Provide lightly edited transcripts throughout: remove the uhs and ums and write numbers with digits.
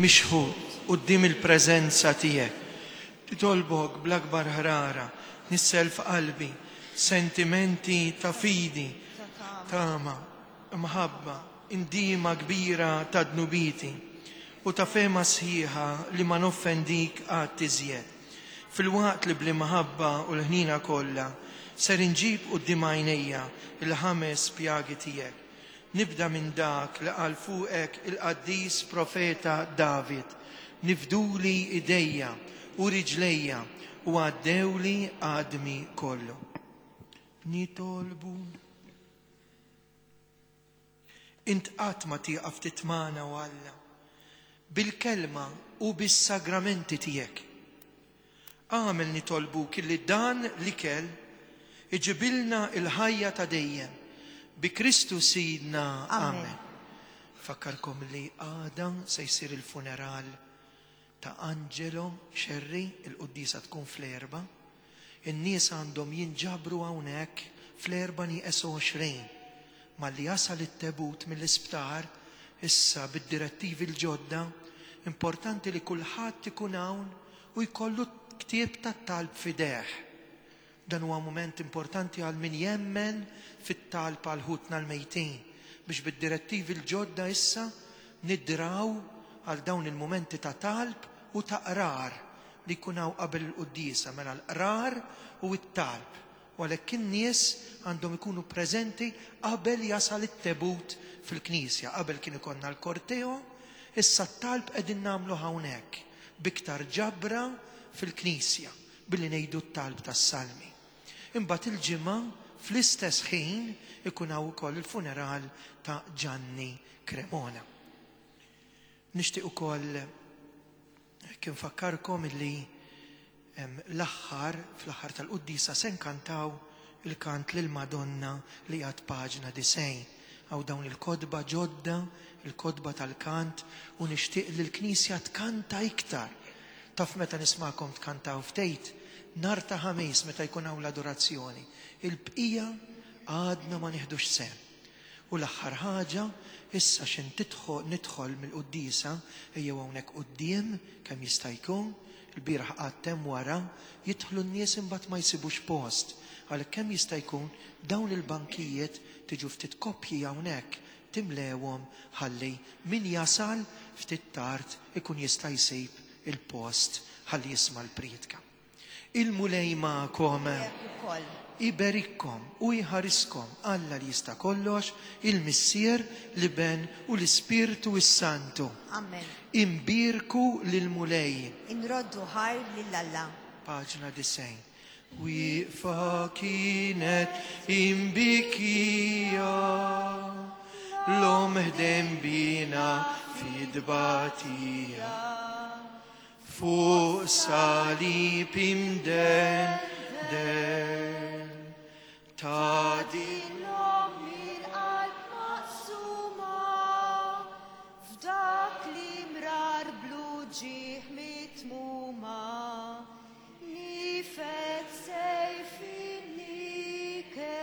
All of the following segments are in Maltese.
mixħut quddiem il-preżenza tiegħek. Nitolbok bl-akbar ħrara, nissel f'qalbi sentimenti ta' fidi, tama, mħabba, indiema kbira ta' dnubieti u ta' fehma sħiħa li ma noffendik qatt iżjed. Filwaqt li bl-imħabba u l-ħniena kollha ser inġib quddiem għajnejja l-ħames pjagi tiegħek. Nibda minn dak li qal fuqek il-qaddis profeta David, Nifduli idejja u riġlejja u għaddewli għadmi kollu. Nitolbu. Int qatt ma tieqaf titmagħna, o Alla, bil-kelma u bis-sagramenti tiegħek. Agħmel nitolbuk illi dan l-ikel iġibilna l-ħajja ta' dejjem. Bi Kristu Sidna. Amen. Nfakkarkom li għada se jsir il-funeral ta' Angelo Scerri, il-quddiesa tkun fl-erbgħa. In-nies għandhom jinġabru hawnhekk fl-erbgħa nieqes 20. Malli jasal it-tebut mill-isptar, issa bid-direttivi l-ġodda, importanti li kulħadd ikun hawn u jkollu ktieb tat-talb f'idejh. Dan huwa mument importanti għal min jemmen fit-talb għal ħutna l-mejtin, biex bid-direttivi l-ġodda issa nidraw għal dawn il-mumenti ta' talb u ta' qrar li jkun hawn qabel il-quddiesa, mela l-qrar u t-talb. U għalhekk in-nies għandhom ikunu preżenti qabel jasal it-tebut fil-knisja. Qabel kien ikollna l-korteo, issa t-talb qegħdin nagħmluh hawnhekk, b'iktar ġabra fil-knisja, billi ngħidu t-talb tas-salmi. Imbagħad il-Ġimgħa fl-istess ħin ikun hawn ukoll il-funeral ta' Ġanni Cremona. Nixtieq ukoll Hekk infakkarkom illi l-aħħar, fl-aħħar tal-quddiesa se nkantaw il-kant lill-Madonna li għad paġna 90. Hawn dawn il-kotba ġodda, il-kotba tal-kant, u nixtieq li l-Knisja tkanta iktar. Taf meta nismagħkom tkantaw ftejt? Nhar ta' Ħamis meta jkun hawn l-adorazzjoni. Il-bqija għadna ma nieħdux sehem. U l-aħħar ħaġa, issa x'in tidħol nidħol mill-quddiesa, ejjew hawnhekk quddiem kemm jista' jkun, il-bieraħ qgħadt hemm wara, jidħlu n-nies imbagħad ma jsibux post. Għalhekk kemm jista' jkun dawn il-bankijiet tiġu ftit koppji hawnhekk timlewhom ħalli min jasal ftit tard ikun jista' jsib il-post ħalli jisma' l-prietka. Il-Mulej magħkom. Miegħek ukoll. Iberikkom u jħariskom Alla li jista' kollox, il-Missier, l-Iben u l-Ispirtu s-Santu. Amen. Imbierku lill-Mulej. Inroddu ħajr lil Alla. Paġna 90. Wieqfa kienet imbikija, l-omm ħdejn bina fit-tbatija. Fuq salib imdendel ta' din l-omm il-qalb maqsuma f'dak li mrar bl-uġigħ mitmuma nifed sejf in-niket.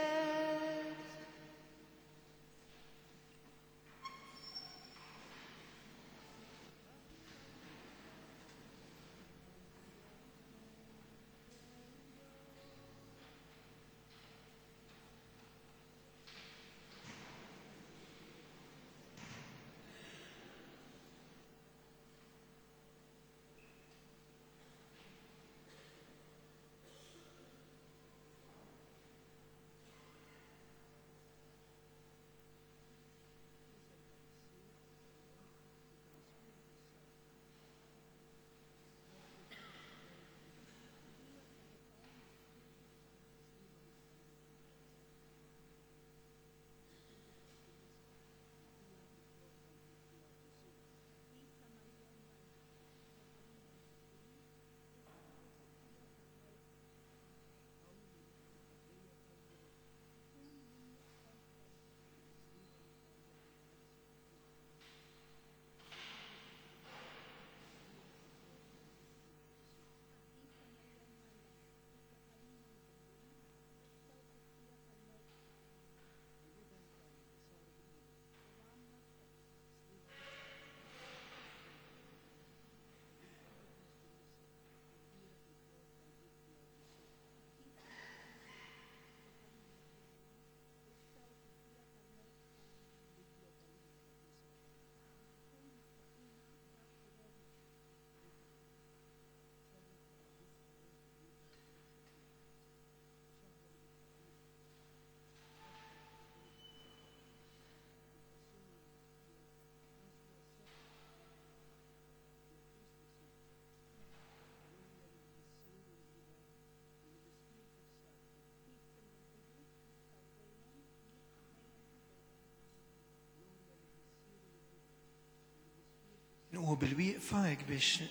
Qumu bil-wieqfa hekk biex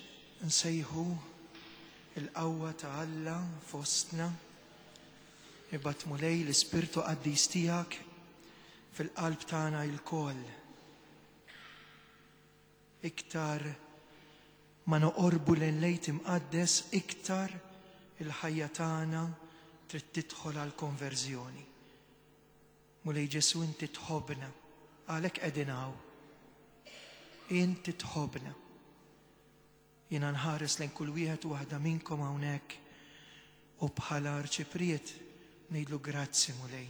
nsejħu il-qawwa ta' Alla fostna. Ibgħat Mulej l-Ispirtu Qaddis tiegħek fil-qalb tagħna ilkoll. Iktar ma noqorbu lejn l-Għid Imqaddes iktar il-ħajja tagħna trid tidħol għall-konverżjoni. Mulej Ġesù inti tħobbna, għalhekk qegħdin hawn. Inti tħobbna. Jiena nħares lejn kull wieħed u waħda minnkom hawnhekk u bħala arċipriet ngħidlu grazzi Mulej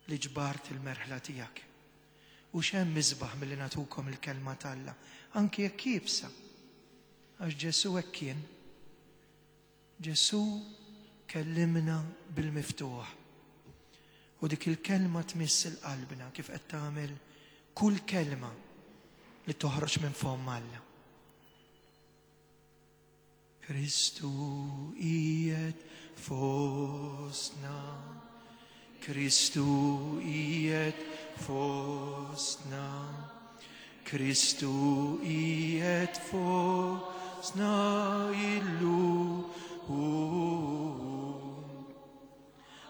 li ġbart il-merħla tiegħek. U x'hemm isbaħ milli nagħtukom il-kelma t'Alla, anki jekk iebsa. Għax Ġesù hekk kien. Ġesù kellimna bil-miftuħ. U dik il-kelma tmiss il-qalbna kif qed tagħmel kull kelma li toħroġ minn fomm Alla. Kristu qiegħed fostna. Kristu qiegħed fostna. Kristu qiegħed fostna illum.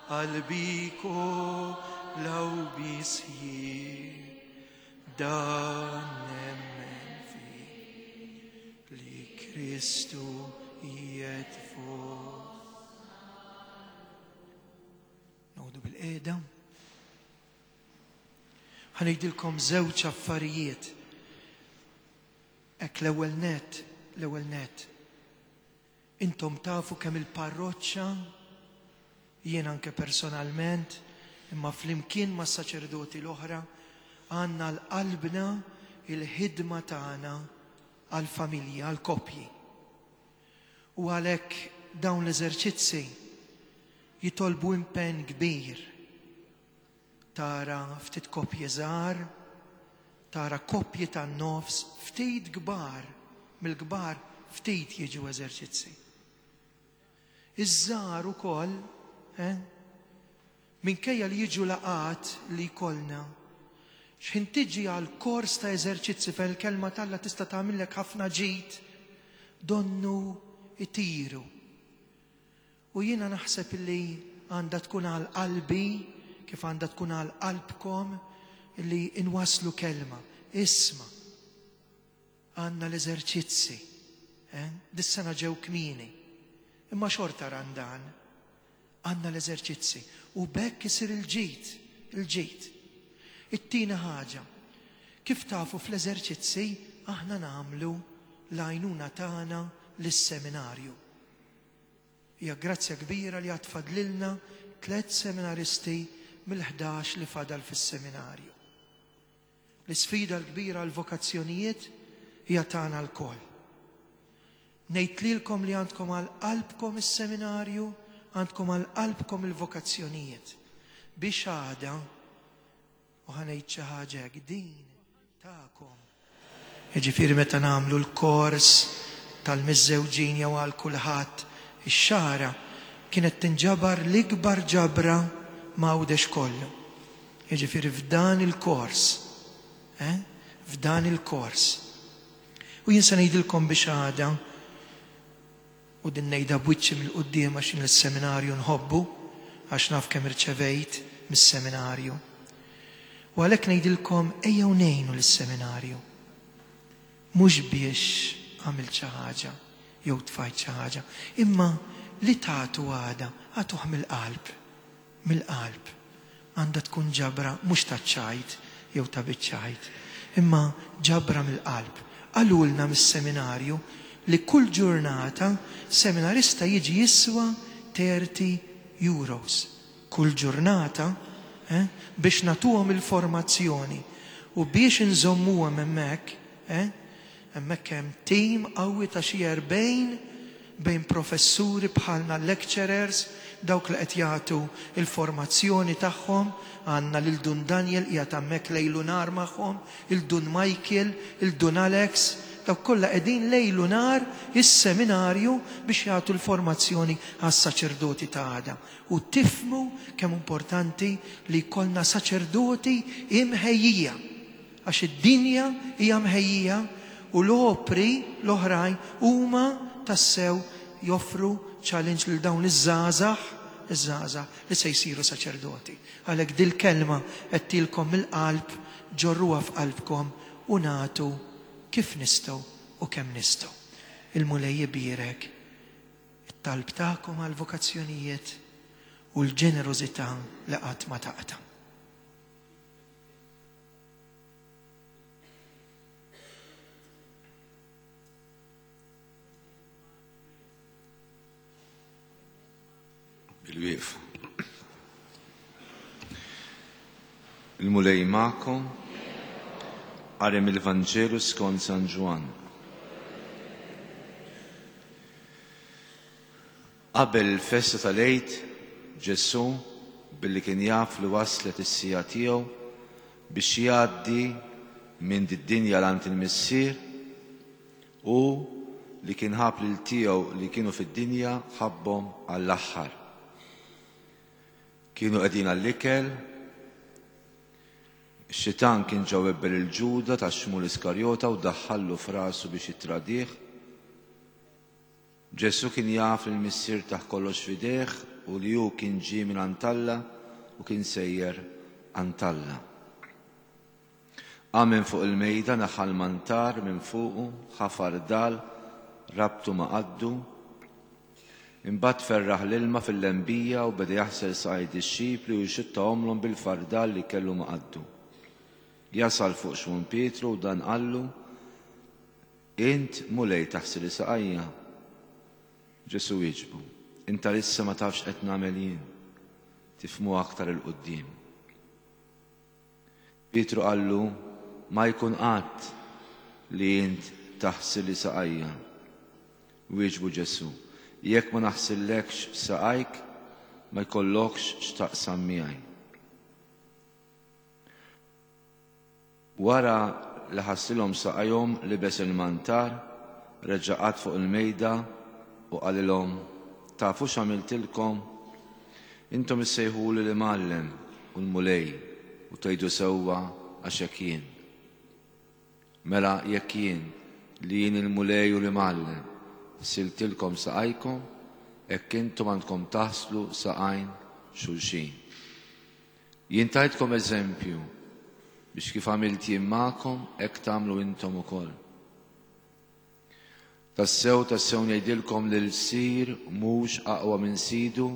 Qalbi kollha u bisħieħ dan nemmen fih li Kristu qiegħed fostna. Noqogħdu bil-qiegħda. Ħa ngħidilkom żewġ affarijiet. Hekk l-ewwel net, l-ewwel net. Intom tafu kemm il-parroċċa, jien anke personalment, imma flimkien mas-saċerdoti l-oħra, għandna l-qalbna il-ħidma tagħna għall-familji, għall-koppji. U għalhekk dawn l-eżerċizzi jitolbu impenn kbir. Tara ftit koppji żgħar, tara koppji tan-nofs, ftit kbar, mill-kbar ftit jiġu eżerċizzi. Iż-żgħar ukoll, eh, minkejja li jiġu laqgħat li jkollna, x'ħin tiġi għal kors ta' eżerċizzi fejn il-kelma t'Alla tista' tagħmillek ħafna ġid, donnu itiru. U jiena naħseb li għandha tkun għal qalbi, kif għandha tkun għal qalbkom, li inwasslu kelma. Isma', għandna l-eżerċizzi. Eh? Dis-sena ġew kmieni. Imma xorta Randan. Għandna l-eżerċizzi. U b'hekk isir il-ġid, il-ġid. It-tieni ħaġa, kif tafu fl-eżerċizzi aħna nagħmlu l-għajnuna tagħna lis-seminarju. Hija grazzja kbira li għad fadlilna tlett seminaristi mill-ħdax li fadal fis-seminarju. L-isfida l-kbira għall-vokazzjonijiet hija tagħna lkoll. Ngħid lilkom li għandkom għal qalbkom is-seminarju, għandkom għal qalbkom il-vokazzjonijiet. Biex għada, u ħa ngħid xi ħaġa hekk, din tagħkom. Jiġifieri meta nagħmlu l-kors tal-miżżewġin jew għal kulħadd ix-xagħra kienet tinġabar l-ikbar ġabra m'Għawdex kollu. Jiġifieri f'dan il-kors, eh? F'dan il-kors. U jien se ngħidilkom biex għada u din ngħidha b'wiċċi mill-quddiem għax jien is-seminarju nħobbu, għax naf kemm irċevejt mis-seminarju. U għalhekk ngħidilkom ejjew ngħinu lis-seminarju. Mhux biex għamilt xi ħaġa jew tfajt xi ħaġa, imma li tagħtu għada, agħtuh mill-qalb. Mill-qalb. Għandha tkun ġabra mhux taċ-ċajt jew ta' biċ-ċajt, imma ġabra mill-qalb. Qalulna mis-seminarju li kull ġurnata seminarista jiġi jiswa 30 euros. Kull ġurnata, eh, biex nagħtuhom il-formazzjoni u biex inżommuhom hemmhekk, eh, hemmhekk hemm tim qawwi ta' xi 40 bejn professuri bħalna lecturers, dawk li qed jagħtu l-formazzjoni tagħhom, għandna lil Dun Daniel qiegħed hemmhekk lejl u nhar magħhom, il Dun Michael, il Dun Alex, dawk kollha qegħdin lejl u nhar is-seminarju biex jagħtu l-formazzjoni għas-saċerdoti ta' għada. U tifhmu kemm importanti li jkollna saċerdoti imħejjija. Għax id-dinja hija mħejjija. U l-opri l-oħrajn huma tassew joffru challenge lil dawn iż-żgħażagħ, iż-żgħażagħ li se jsiru saċerdoti. Għalhekk dil-kelma għedtilkom mill-qalb, ġorruha f'qalbkom u nagħtu kif nistgħu u kemm nistgħu. Il-Mulej ibierek it-talb tagħkom għall-vokazzjonijiet u l-ġenerożità li qatt ma taqta'. Bil-wieqfa. Il-Mulej magħkom. Qari mill-Vanġelu skont San Ġwann. Qabel il-festa tal-Għid, Ġesù, billi kien jaf li waslet is-siegħa tiegħu biex jgħaddi minn did-dinja 'l għand il-Missier, hu li kien ħabb lil tiegħu li kienu fid-dinja ħabbhom għall-aħħar. Kienu qegħdin għall-ikel, ix-xitan kien ġa webbel lil Ġuda ta' Xmun l-Iskarjota u daħħallu f'rasu biex jittradih. Ġesù kien jaf li l-Missier tah kollox f'idejh u li hu kien ġie minn għand Alla u kien sejjer għand Alla. Qam minn fuq il-mejda, neħħa l-mantar minn fuqu, ħa fardal, rabtu ma' qaddu. Imbagħad ferraħ l-ilma fil-lembija u beda jaħsel saqaj dixxipli u jxuttahomlhom bil-fardal li kellu ma' qaddu. Jasal fuq Xmun Pietru u dan qallu, Int, Mulej, taħsili saqajja? Ġesù wieġbu, Int għalissa ma tafx x'qed nagħmel jien, tifhmu aktar 'il quddiem. Pietru qallu, Ma jkun qatt li int taħsili saqajja. Wieġbu Ġesù, Jekk ma naħsillekx saqajk, ma jkollokx x'taqsam miegħi. Wara li ħaslilhom saqajhom, libes il-mantar, reġa' qagħad fuq il-mejda u qalilhom, Tafu x'għamiltilkom? Intom issejħuli l-Imgħallem u l-Mulej, u tgħidu sewwa għax hekk jien. Mela jekk jien, li jien il-Mulej u l-Imgħallem, ħsiltilkom saqajkom, hekk intom għandkom taħslu saqajn xulxin. Jien tajtkom eżempju biex kif għamilt jien magħkom hekk tagħmlu intom ukoll. Tassew, tassew ngħidilkom li l-sir mhux aqwa minn sidu,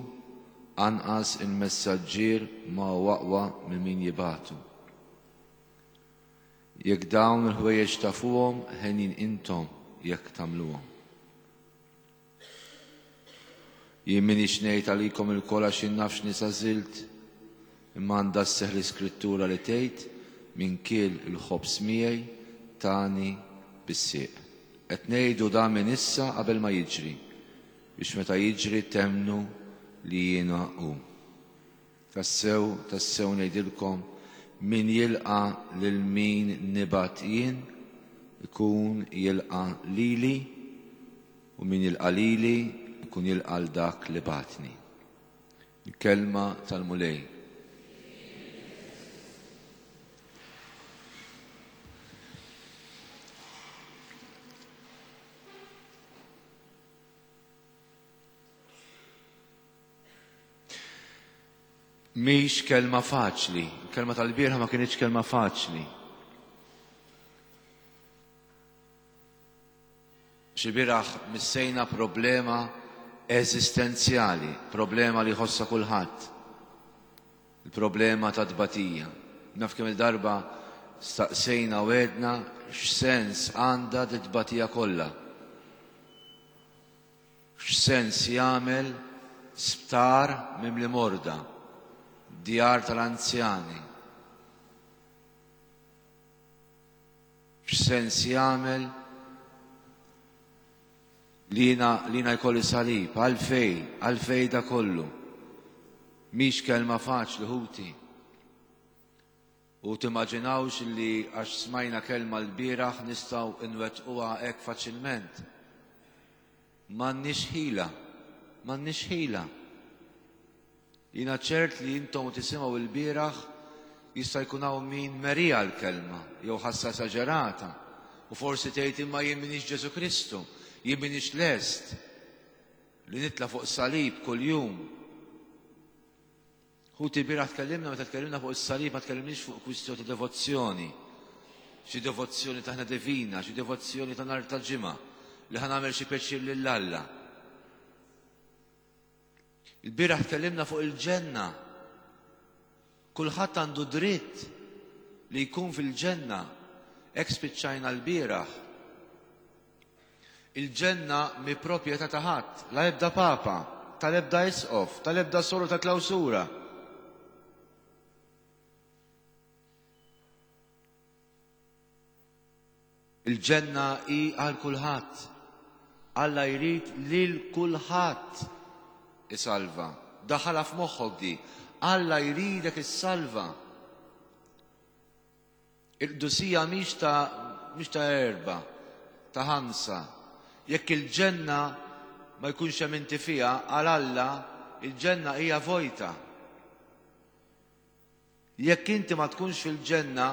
anqas il-messaġġier ma hu aqwa minn min jibagħtu. Jekk dawn il-ħwejjeġ tafuhom, henjin intom jekk tagħmluhom. Jien m'iniex ngħid għalikom ilkoll għax jien naf x'nies għażilt, imma għandha sseħħ l-iskrittura li tgħid, Min kiel il-ħobż miegħi tani bis-sieq. Qed ngħidu dan minn issa qabel ma jiġri, biex meta jiġri temmnu li jiena hu. Tassew, tassew ngħidilkom, min jilqa' lil min nibgħat jien, ikun jilqa' lili, U min jilqa' lili jkun jilqa' 'l dak li bagħatni. Il-kelma tal-Mulej. Mhix kelma faċli, il-kelma tal-bieraħ ma kinitx kelma faċli. Xi bieraħ missejna problema eżistenzjali, problema li jħossha kulħadd. Il-problema ta' tbatija. Naf kemm il-darba staqsejna u għedna x'sens għandha dit-tbatija kollha. X'sens jagħmel sptar mimli morda, djar tal-anzjani, X'sens jagħmel li jiena li jiena jkolli salib? Għalfej, għalfej da kollu? Mhix kelma faċli ħuti. U timmaġinawx li għax smajna kelma l-bieraħ nistgħu nwettquha hekk faċilment. M'għandniex ħila, m'għandniex ħila. Jiena ċert li intom u tisimgħu ilbieraħ jista' jkun hawn min meriha l-kelma jew ħassha esaġerata. U forsi tgħid imma jien m'iniex Ġesù Kristu, jien m'iniex lest li nitla' fuq salib kuljum. Ħuti bieraħ tkellimna meta tkellimna fuq is-salib ma tkellimniex fuq kwistjoni ta' devozzjoni. Xi devozzjoni taħna divina, xi devozzjoni ta' nhar ta' ġimgħa li ħa nagħmel xi pjaċir lil Alla. Il-bieraħ tkellimna fuq il-ġenna. Kulħadd għandu dritt li jkun fil-ġenna. Hekk spiċċajna l-bieraħ. Il-ġenna mi proprjetà ta' ħadd, la ebda papa, tal-ebda isqof, tal-ebda soru ta' klawsura. Il-ġenna hi għal kulħadd. Alla jrid lil kulħadd isalva. Daħħalha f'moħħok di. Alla jridek issalva. Il-qdusija mhix ta' mhix ta' erba, ta' ħamsa. Jekk il-ġenna ma jkunx hemm inti fiha, għal Alla il-ġenna hija vojta. Jekk inti ma tkunx fil-ġenna,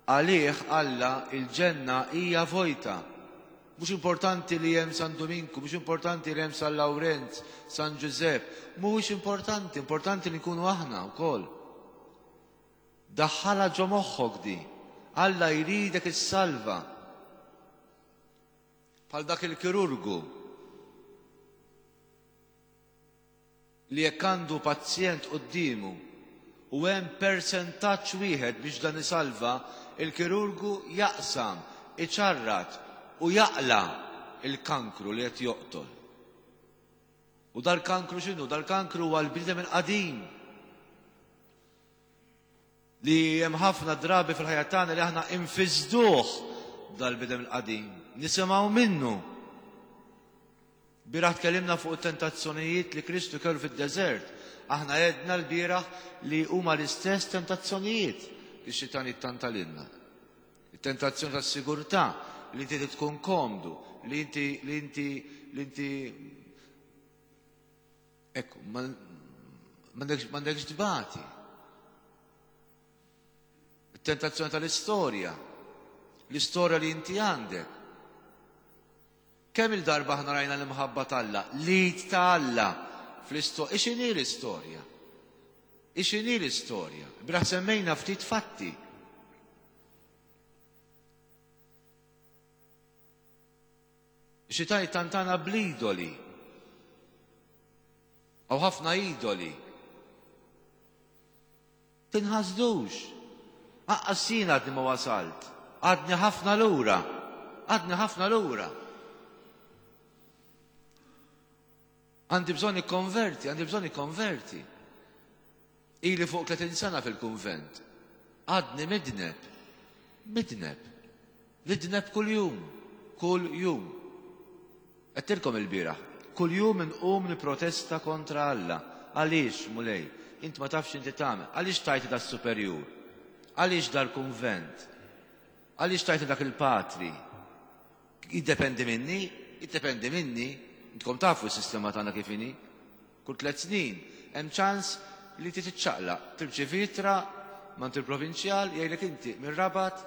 għalih Alla il-ġenna hija vojta. Mhux importanti li hemm San Duminku, mhux importanti li hemm San Lawrenz, San Ġużepp, mhuwiex importanti, importanti li nkunu aħna wkoll. Daħħalha ġo moħħok di. Alla jridek issalva. Bħal dak il-kirurgu li jekk għandu pazjent quddiemu u hemm persentaġġ wieħed biex dan isalva, il-kirurgu jaqsam, iċarrat u jaqla' l-kankru li qed joqtol. U dal-kankru x'inhu? Dal-kankru huwa l-bniedem il-qadim. Li hemm ħafna drabi fil-ħajja tagħna li aħna infisduh dal-bidem il-qadim. Nisimgħu minnu. Bieraħ tkellimna fuq it-tentazzjonijiet li Kristu kellu fid-deżert. Aħna għedna l-bieraħ li huma l-istess tentazzjonijiet li x-xitan jittantalilna. It-tentazzjoni tas-sigurtà li inti tkun komdu, li inti li inti li inti Ekku, m'għandekx tbati. It-tentazzjoni tal-istorja, l-istorja li inti għandek. Kemm il-darba aħna rajna l-imħabba t'Alla, l-id ta' Alla fl-istorja. Ixinhi l-istorja? Ixinhi l-istorja? Bra semmejna ftit fatti. Xi tgħid tantana bl-idoli. Hawn ħafna idoli. Tinħasdux. Aqqas jien għadni ma wasalt. Għadni ħafna lura. Għadni ħafna lura. Għandi bżonn ikkonverti, għandi bżonn ikkonverti. Ili fuq 30 sena fil-kunvent. Għadni midneb. Midneb. Nidneb kuljum. Kuljum. Għedtilkom il-bieraħ. Kuljum inqum nipprotesta kontra Alla. Għaliex, Mulej? Int ma tafx inti tagħmel. Għaliex tajti das-superjur? Għaliex dal-kunvent? Għaliex tajti dak il-patri? Jiddependi minni? Jiddependi minni? Intkom tafu s-sistema tagħna kif inhi. Kull tliet snin hemm ċans li inti tiċċaqlaq, tirċievi ittra m'għand il-provinċjal jgħidlek inti mir-Rabat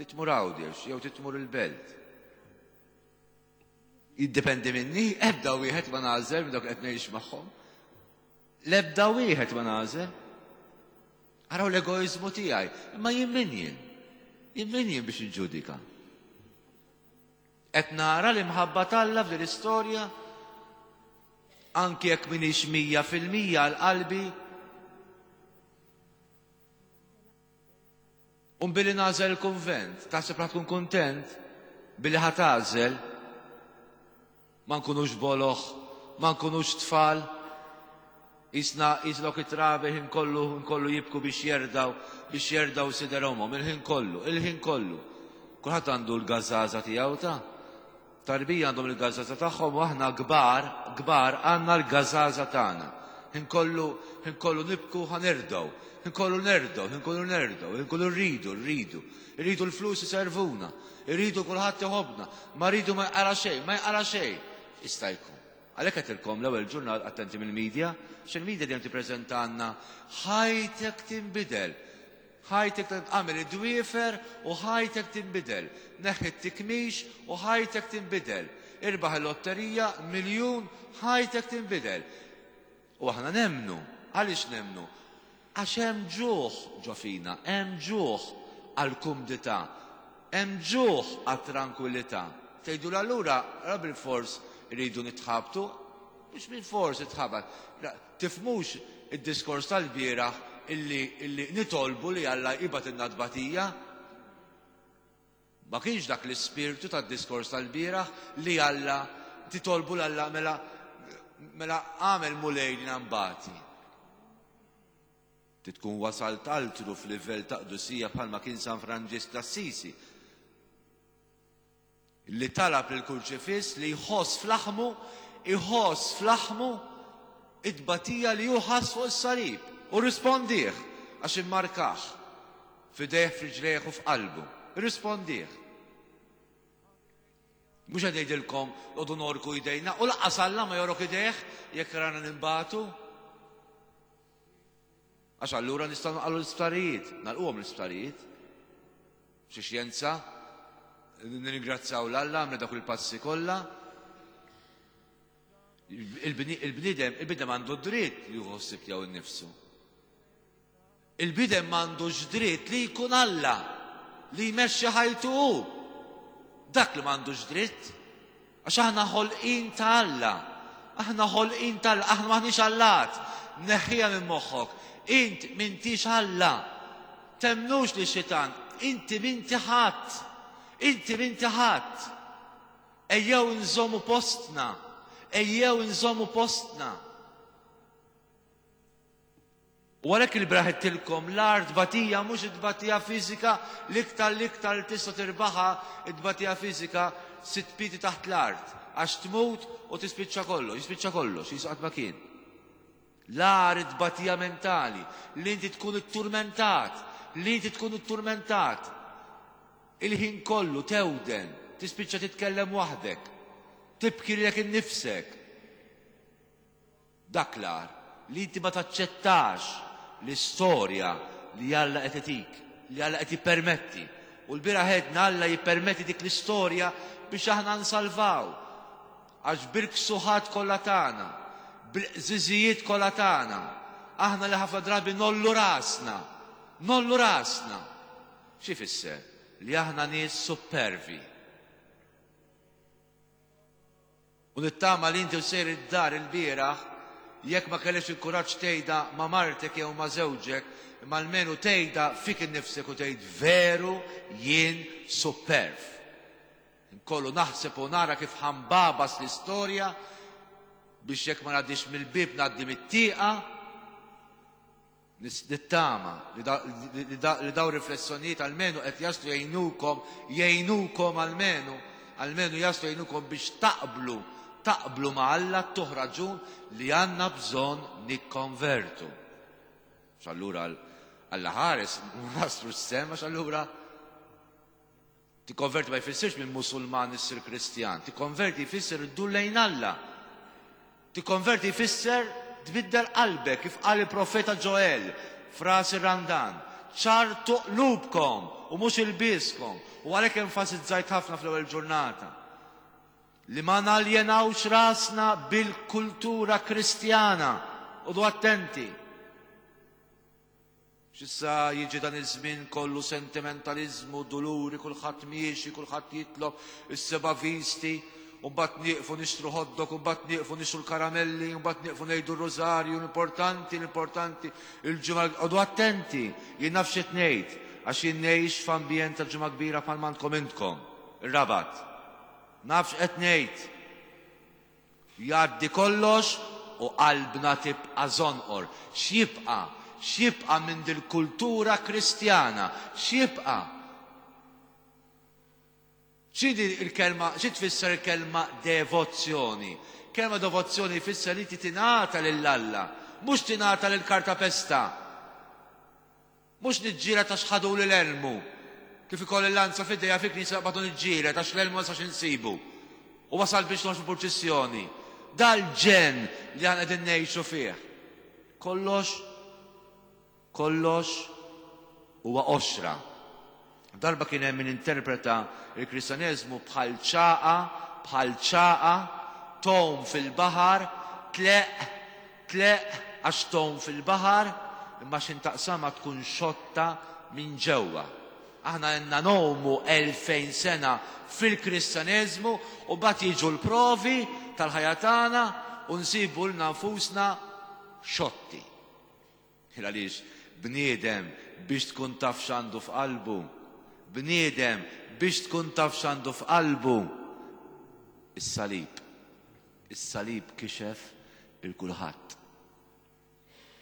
titmur Għawdex jew titmur il-Belt. Jiddependi minni, ebda wieħed ma nagħżel minn dawk li qed ngħix magħhom. L-ebda wieħed ma nagħżel. Araw l-egoiżmu tiegħi, imma jien min jien? Jien min jien biex inġudika? Qed nara l-imħabba t'Alla f'din l-istorja anki jekk m'iniex 100% għal qalbi. U billi nagħżel il-kunvent, taħseb ħa tkun kuntent billi ħa tagħżel ma nkunux boloh, ma nkunux tfal, Jisna jislok it-trabi ħin kollu ħin kollu jibku biex jerdaw biex jerdaw sider omhom il-ħin kollu, il-ħin kollu. Kulħadd għandu l-gażaża tiegħu ta' tarbija għandhom il-gażaża tagħhom u aħna kbar, kbar għandna l-gażaża tagħna. Ħin kollu, ħin kollu nibku ħa nerdaw, ħin kollu nerdaw, ħin kollu nerdaw, ħin kollu rridu, rridu. Irridu l-flus iservuna, irridu kulħadd iħobbna, ma rridu ma jqara xejn, ma jqara xejn. Jista' jkun. Għalhekk għedtilkom l-ewwel ġurnal attenti mill-media, għax il-media dejjem tippreżentalna ħajtek tinbidel. Ħajtek agħmel id-dwiefer u ħajtek tinbidel. Neħħi t-tikmix u ħajtek tinbidel. Irbaħ il-lotterija, miljun, ħajtek tinbidel. U aħna nemmnu. Għaliex nemmnu? Għax hemm ġuħ ġo fina, hemm ġuħ għall-kumdità, hemm ġuħ għat-trankwillità. Tgħidu allura ra bilfors iridu nitħabtu? Mhux bilfors itħabat. Tifhmux id-diskors tal-bieraħ illi, illi nitolbu li Alla jibgħatilna tbatija? Ma kienx dak l-ispirtu tad-diskors tal-bieraħ li Alla titolbu 'l Alla mela mela għamel Mulej li nbati. Tkun wasalt altru f'livell ta' qdusija bħalma kien San Franġisk t'Assisi li talab lil kurċifiss li jħoss f'laħmu, iħoss f'laħmu it-tbatija li hu ħass fuq is-salib. U rrispondih għax immarkah f'idejh, f'riġlejh u f'qalbu. Irrispondih. Mhux qed ngħidilkom noqogħdu norku jdejna u lanqas Alla ma jorok idejh jekk rana nimbatu. Għax allura nistgħu naqalu l-isptarijiet, nagħlquhom l-isptarijiet. Xi xjenza, nirringrazzjaw 'l Alla għamlu dak il-passi kollha. Il-bniedem, il-bniedem għandu dritt li jieħu ħsieb tiegħu nnifsu. Il-bniedem m'għandux dritt li jkun Alla, li jmexxi ħajtu hu. Dak li m'għandux dritt. Għax aħna ħolqien ta' Alla. Aħna ħolqien ta' Alla, aħna m'aħniex allat. Neħħiha minn moħħok. Int m'intix Alla. Temmnux lix-xitan, inti m'inti ħadd. Inti m'inti ħadd. Ejjew inżommu postna. Ejjew inżommu postna. U għalhekk il-bieraħ għedtilkom l-agħar tbatija mhux it-tbatija fiżika, l-iktar l-iktar li tista' tirbaħha it-tbatija fiżika sitt piedi taħt l-art, għax tmut u tispiċċa kollox, jispiċċa kollox, jisu qatt ma kien. L-agħar it-tbatija mentali, li inti tkun itturmentat, li inti tkun itturmentat. Il-ħin kollu tewden, tispiċċa titkellem waħdek, tibki lilek innifsek. Dak l-agħar, li inti ma taċċettax l-istorja li Alla qed itik, li Alla qed jippermetti. U l-bieraħ għedna Alla jippermetti dik l-istorja biex aħna nsalvaw. Għax bil-ksuħat kollha tagħna, bil-qżiżijiet kollha tagħna, aħna li ħafna drabi nollu rasna, nollu rasna. Xi jfisser? Li aħna nies suppervi. U nittama li inti u sejr id-dar ilbieraħ, jekk ma kellekx il-kuraġġ tgħidha ma' martek jew ma' żewġek, imma almenu tgħidha fik innifsek u tgħid veru jien supperv. Inkollu naħseb u nara kif ħa nbagħbas l-istorja biex jekk ma ngħaddix mill-bieb ngħaddi mit-tieqa. Nittama li dawn riflessjonijiet almenu qed jaslu jgħinukom, jgħinukom almenu, almenu jaslu jgħinukom biex taqblu, taqblu ma' Alla ttuh raġun li għandna bżonn nikkonvertu. Għax allura Alla ħares ma naslux sehem għax allura Tikkonverti ma jfissirx minn Musulman issir Kristjan. Tikkonverti jfisser iddur lejn Alla. Tikkonverti jfisser tbiddel qalbek kif qal il-profeta Ġoel f'ras ir-Randan. Ċartu qlubkom u mhux ilbieskom. U għalhekk enfasizzajt ħafna fl-ewwel ġurnata li ma naljenawx rasna bil-kultura Kristjana. Oqogħdu attenti. X'issa jiġi dan iż-żmien kollu sentimentaliżmu, duluri, kulħadd miexi, kulħadd jitlob is-seba' visti, u mbagħad nieqfu nixtru hot dog, u mbagħad nieqfu nixtru l-karamelli, u mbagħad nieqfu ngħidu r-rużarju, l-importanti, l-importanti, il-ġimgħa, qogħdu attenti, jien naf x'qed ngħid, għax jien ngħix f'ambjent ta' Ġimgħa Kbira bħalma għandkom intkom, ir-Rabat. Naf x'qed ngħid. Jgħaddi kollox u qalbna tibqa' żonqor. X'jibqa'? X'jibqa' minn dil-kultura Kristjana? X'jibqa'? X'inhi l-kelma, xi tfisser il-kelma devozzjoni? Kelma devozzjoni jfisser li inti tingħata lil Alla, mhux tingħata lil kartapesta. Mhux niġġieled għax ħaduli l-elmu. Kif ikolli l-lanza f'idejja fil-knisja naqbad u niġġieled għax l-elmu ma nistax insibu. U wasalt biex noħroġ fil-purċissjoni. Dal-ġenn li aħna qegħdin ngħixu fih. Kollox, kollox Huwa qoxra. Darba kien hemm min interpreta l-Kristjaneżmu bħal ċagħqa, bħal ċagħqa, tgħum fil-baħar, tleqq, tleqq għax tgħum fil-baħar, imma x'in taqsamha tkun xotta minn ġewwa. Aħna ilna ngħumu 2000 sena fil-Kristjaneżmu u mbagħad jiġu l-provi tal-ħajja tagħna u nsibu lna nfusna xotti. Għaliex bniedem biex tkun taf x'għandu f'qalbu, bniedem biex tkun taf x'għandu f'qalbu, is-salib. Is-salib kixef il kulħadd.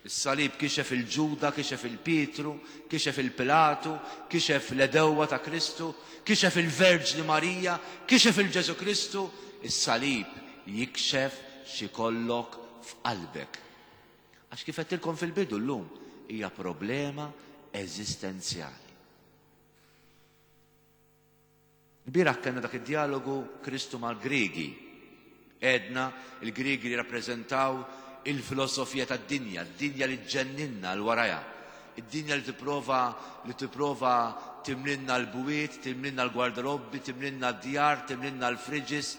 Is-salib kixef il-Ġuda, kixef il-Pietru, kixef il-Pilatu, kixef l-edewwa ta' Kristu, kixef il-Verġni Marija, kixef il-Ġesu Kristu. Is-salib jikxef x'ikollok f'qalbek. Għax kif għedtilkom fil-bidu llum hija problema eżistenzjali. Ilbieraħ kellna dak id-djalogu Kristu mal-Griegi. Għedna il-Griegi li rappreżentaw il-filosofija tad-dinja, d-dinja li ġġenninna l warajha. Id-dinja li tipprova li tipprova timlinna l-bwiet, timlinna l-gwardarobbi, timlinna d-djar, timlinna l-fridges,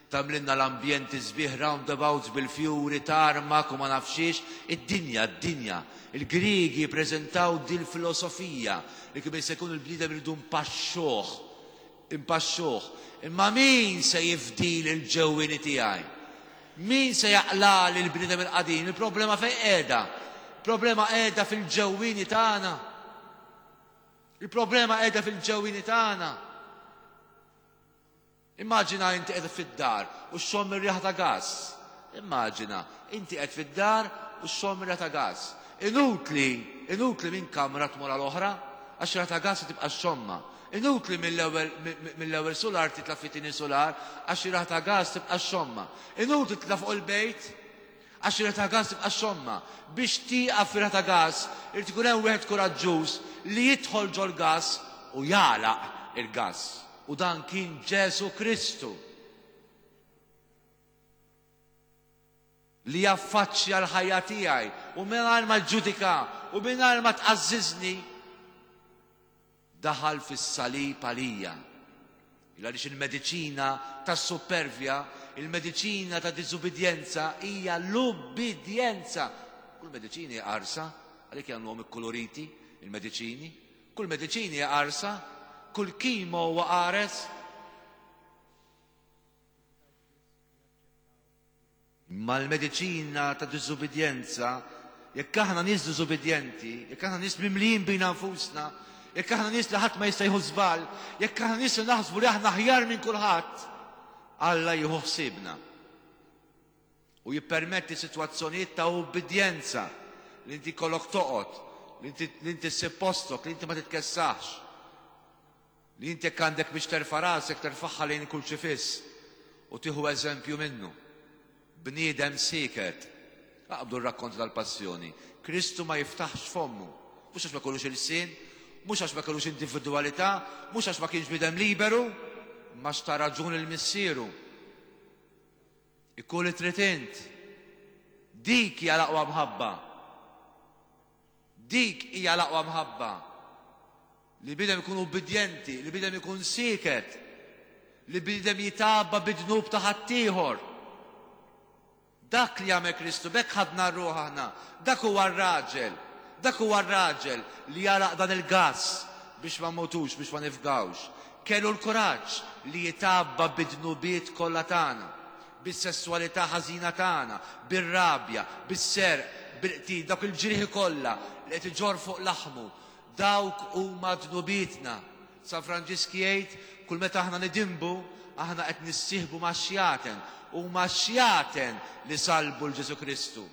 Tagħmlilna l-ambjenti sbieħ roundabouts bil-fjuri, tarmak u ma nafx xiex. Id-dinja, d-dinja. Il-Griegi jippreżentaw dil-filosofija li kemm jista' jkun il-bniedem irridu npaxxuh. Inpaxxuh. Imma min se jifdili l-ġewwieni tiegħi? Min se jaqlagħli l-bniedem il-qadim? Il-problema fejn qiegħda? Il-problema qiegħda fil-ġewwieni tagħna. Il-problema qiegħda fil-ġewwieni tagħna. Immaġina inti qed fid-dar u xxomm ir-riħa ta' gass. Immaġina, inti qed fid-dar u xxomm ir-riħa ta' gass. Inutli, inutli minn kamra tmur għal oħra, għax riħa ta' gass tibqa' xxommha. Inutli mill-ewwel mill-ewwel sular titla' fit-tieni sular, għax ir-riħa ta' gass tibqa' xxommha. Inutli titla' fuq il-bejt, Għax ir-riħa ta' gass tibqa' xxommha. Biex tieqaf fir-riħa ta' gass, irid ikun hemm wieħed kuraġġuż li jidħol ġol-gass u jagħlaq il-gass. U dan kien Ġesù Kristu. Li jaffaċċja l-ħajja tiegħi u mingħajr ma ġġudika u mingħajr ma tqażżiżni Daħal fis-salib għalija. Il għaliex il-mediċina tas-suppervja, il-mediċina ta' diżubbidjenza hija l-ubbidjenza. Kull mediċina hija qarsa, għalhekk jagħmluhom ikkuluriti il-mediċini. Kull mediċina hija qarsa, kull kimo huwa qares. Imma l-mediċina ta' diżubbidjenza, jekk aħna nies diżubbidjenti, jekk aħna nies mimlijin bina nfusna, jekk aħna nies li ħadd ma jista' jieħu żball, jekk aħna nies li naħsbu li aħna aħjar minn kulħadd, Alla jieħu ħsiebna. U jippermetti sitwazzjonijiet ta' ubbidjenza li inti kollok toqgħod, li inti ssib postok, li inti ma titkessaħx. Li inti jekk għandek biex terfa' rasek terfagħha lejn il-kurċifiss u tieħu eżempju minnu. Bniedem sieket. Aqbdu r-rakkont tal-Passjoni. Kristu ma jiftaħx fommu. Mhux għax ma kellux ilsien, mhux għax ma kellux individwalità, mhux għax ma kienx bniedem liberu, imma għax ta raġun lil Missieru. Ikun li trid int. Dik hija l-aqwa mħabba. Dik hija l-aqwa mħabba. Li bniedem ikun ubbidjenti, li bniedem ikun sieket, li bniedem jitgħabba bid-dnub ta' ħaddieħor. Dak li għamel Kristu, b'hekk ħadna r-ruħ aħna. Dak huwa r-raġel, dak huwa r-raġel li għalaq dan il-gass biex ma mmutux, biex ma nifgawx. Kellu l-kuraġġ li jitgħabba bid-dnubiet kollha tagħna. bis-sesswalità ħażina tagħna, bir-rabja, bis-serq, bil-qtil, dawk il-ġrieħi kollha li qed iġorr fuq laħmu, dawk huma dnubietna. San Franġisk jgħid, kull meta aħna nidinbu, aħna qed nissieħbu max-xjaten. Huma x-xjaten li sallbu 'l Ġesù Kristu.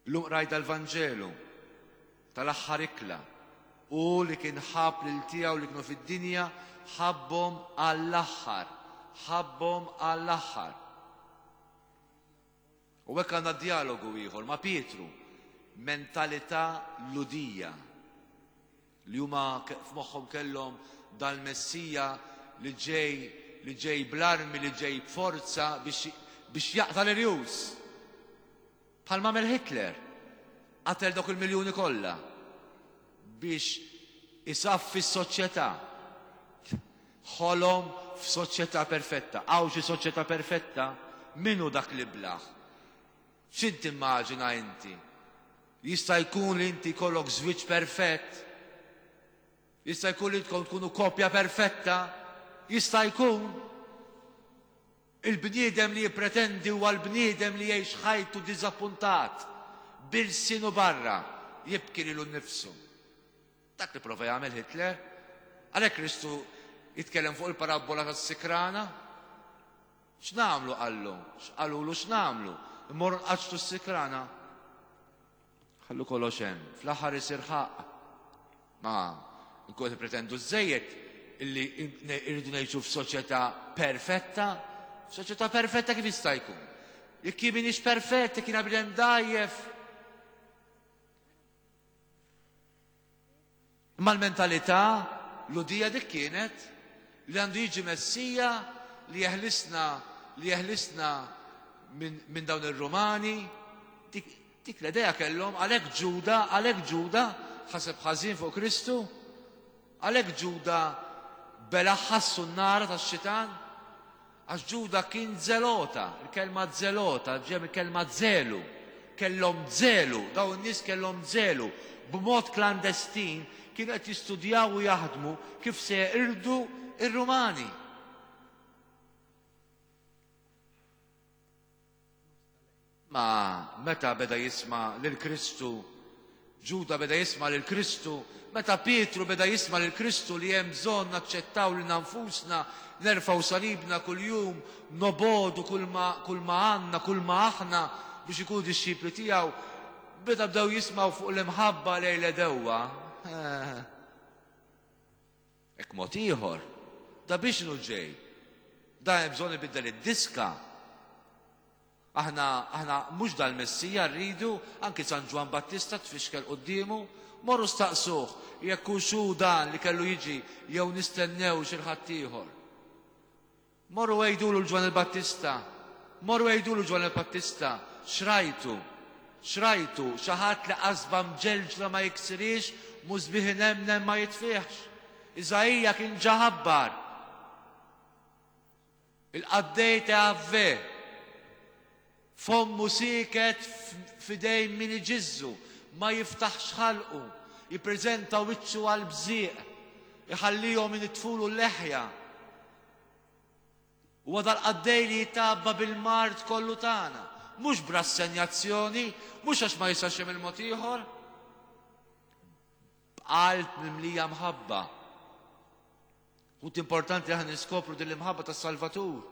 Illum qrajt dal-Vanġelu tal-aħħar ikla. Hu li kien ħabb lil tiegħu li kienu fid-dinja, ħabbhom għall-aħħar. Ħabbhom għall-aħħar. U hekk għandna djalogu ieħor ma' Pietru, mentalità Lhudija. Li huma f'moħħhom kellhom dal-Messija li ġej li ġej bl-armi, li ġej b'forza biex biex jaqta' l-irjus. Bħalma għamel Hitler, qatel dawk il-miljuni kollha biex isaffi s-soċjetà. Ħolom f'soċjetà perfetta. Hawn xi soċjetà perfetta? Min hu dak l-iblah? X'int timmaġina inti? Jista' jkun li inti jkollok żwieġ perfett? Jista' jkun li intkom tkunu koppja perfetta? Jista' jkun? Il-bniedem li jippretendi huwa l-bniedem li jgħix ħajtu diżappuntat, b'ilsienu barra, jibki lilu nnifsu. Dak li prova jagħmel Hitler. Għalhekk Kristu jitkellem fuq il-parabbola tas-sikrana. X'nagħmlu qallu? X'qalulu x'nagħmlu? Immorru nqaċċtu s-sikrana. Ħallu kollox hemm, fl-aħħar isir ħaqq. Ma nkun qed pretendu żejjed illi irridu ngħixu f'soċjetà perfetta, soċjetà perfetta kif jista' jkun? Jekk jien m'iniex perfett, jekk jiena bniedem dgħajjef. Imma l-mentalità Lhudija dik kienet li għandu jiġi Messija li jeħlisna li jeħlisna minn min dawn ir-Rumani. Dik, dik l-idea kellhom għalhekk Ġuda, għalhekk Ġuda ħaseb ħażin fuq Kristu, għalhekk Ġuda bela ħassu n-nara tax-xitan. Għax Ġuda kien zelota, il-kelma zelota ġejja mill-kelma zelu. Kellhom zelu, dawn in-nies kellhom zelu. B'mod klandestin kienu qed jistudjaw u jaħdmu kif se jeqirdu r-Rumani. Ma meta beda jisma' lil Kristu, Ġuda beda jisma' lil Kristu, meta Pietru beda jisma' lil Kristu li hemm bżonn naċċettaw lilna nfusna, nerfgħu salibna kuljum, nobogħdu kulma kulma għandna, kulma aħna biex ikunu dixxipli tiegħu, meta bdew jismgħu fuq l-imħabba lejn l-għedewwa, Hekk mod ieħor, da biex inhu ġej? Da hemm bżonn ibiddel id-diska. Aħna, aħna mhux dal-Messija rridu, anki San Ġwann Battista tfixkel quddiemu, morru staqsuh jekk hux hu dan li kellu jiġi jew nistennew xi ħadd ieħor. Morru għidulu 'l Ġwann il-Battista, morru għidulu 'l Ġwann il-Battista, x'rajtu? X'rajtu? Xi ħadd li qasba mġelġla ma jiksirhiex, musbieħ inemnem ma jitfihx. Iżaija kien ġa ħabbar. Il-qaddej ta' Jahve, Fommu sieket f'idejn min iġiżżu, ma jiftaħx ħalqu, jippreżenta wiċċu għall-bżieq, iħallihom inittfulu l-leħja. Huwa dal-qaddej li jitgħabba bil-mard kollu tagħna, mhux b'rassenjazzjoni, mhux għax ma jistax jagħmel mod ieħor. B'qalb mimlija mħabba. Punt importanti li aħna niskopru din l-imħabba tas-Salvatur.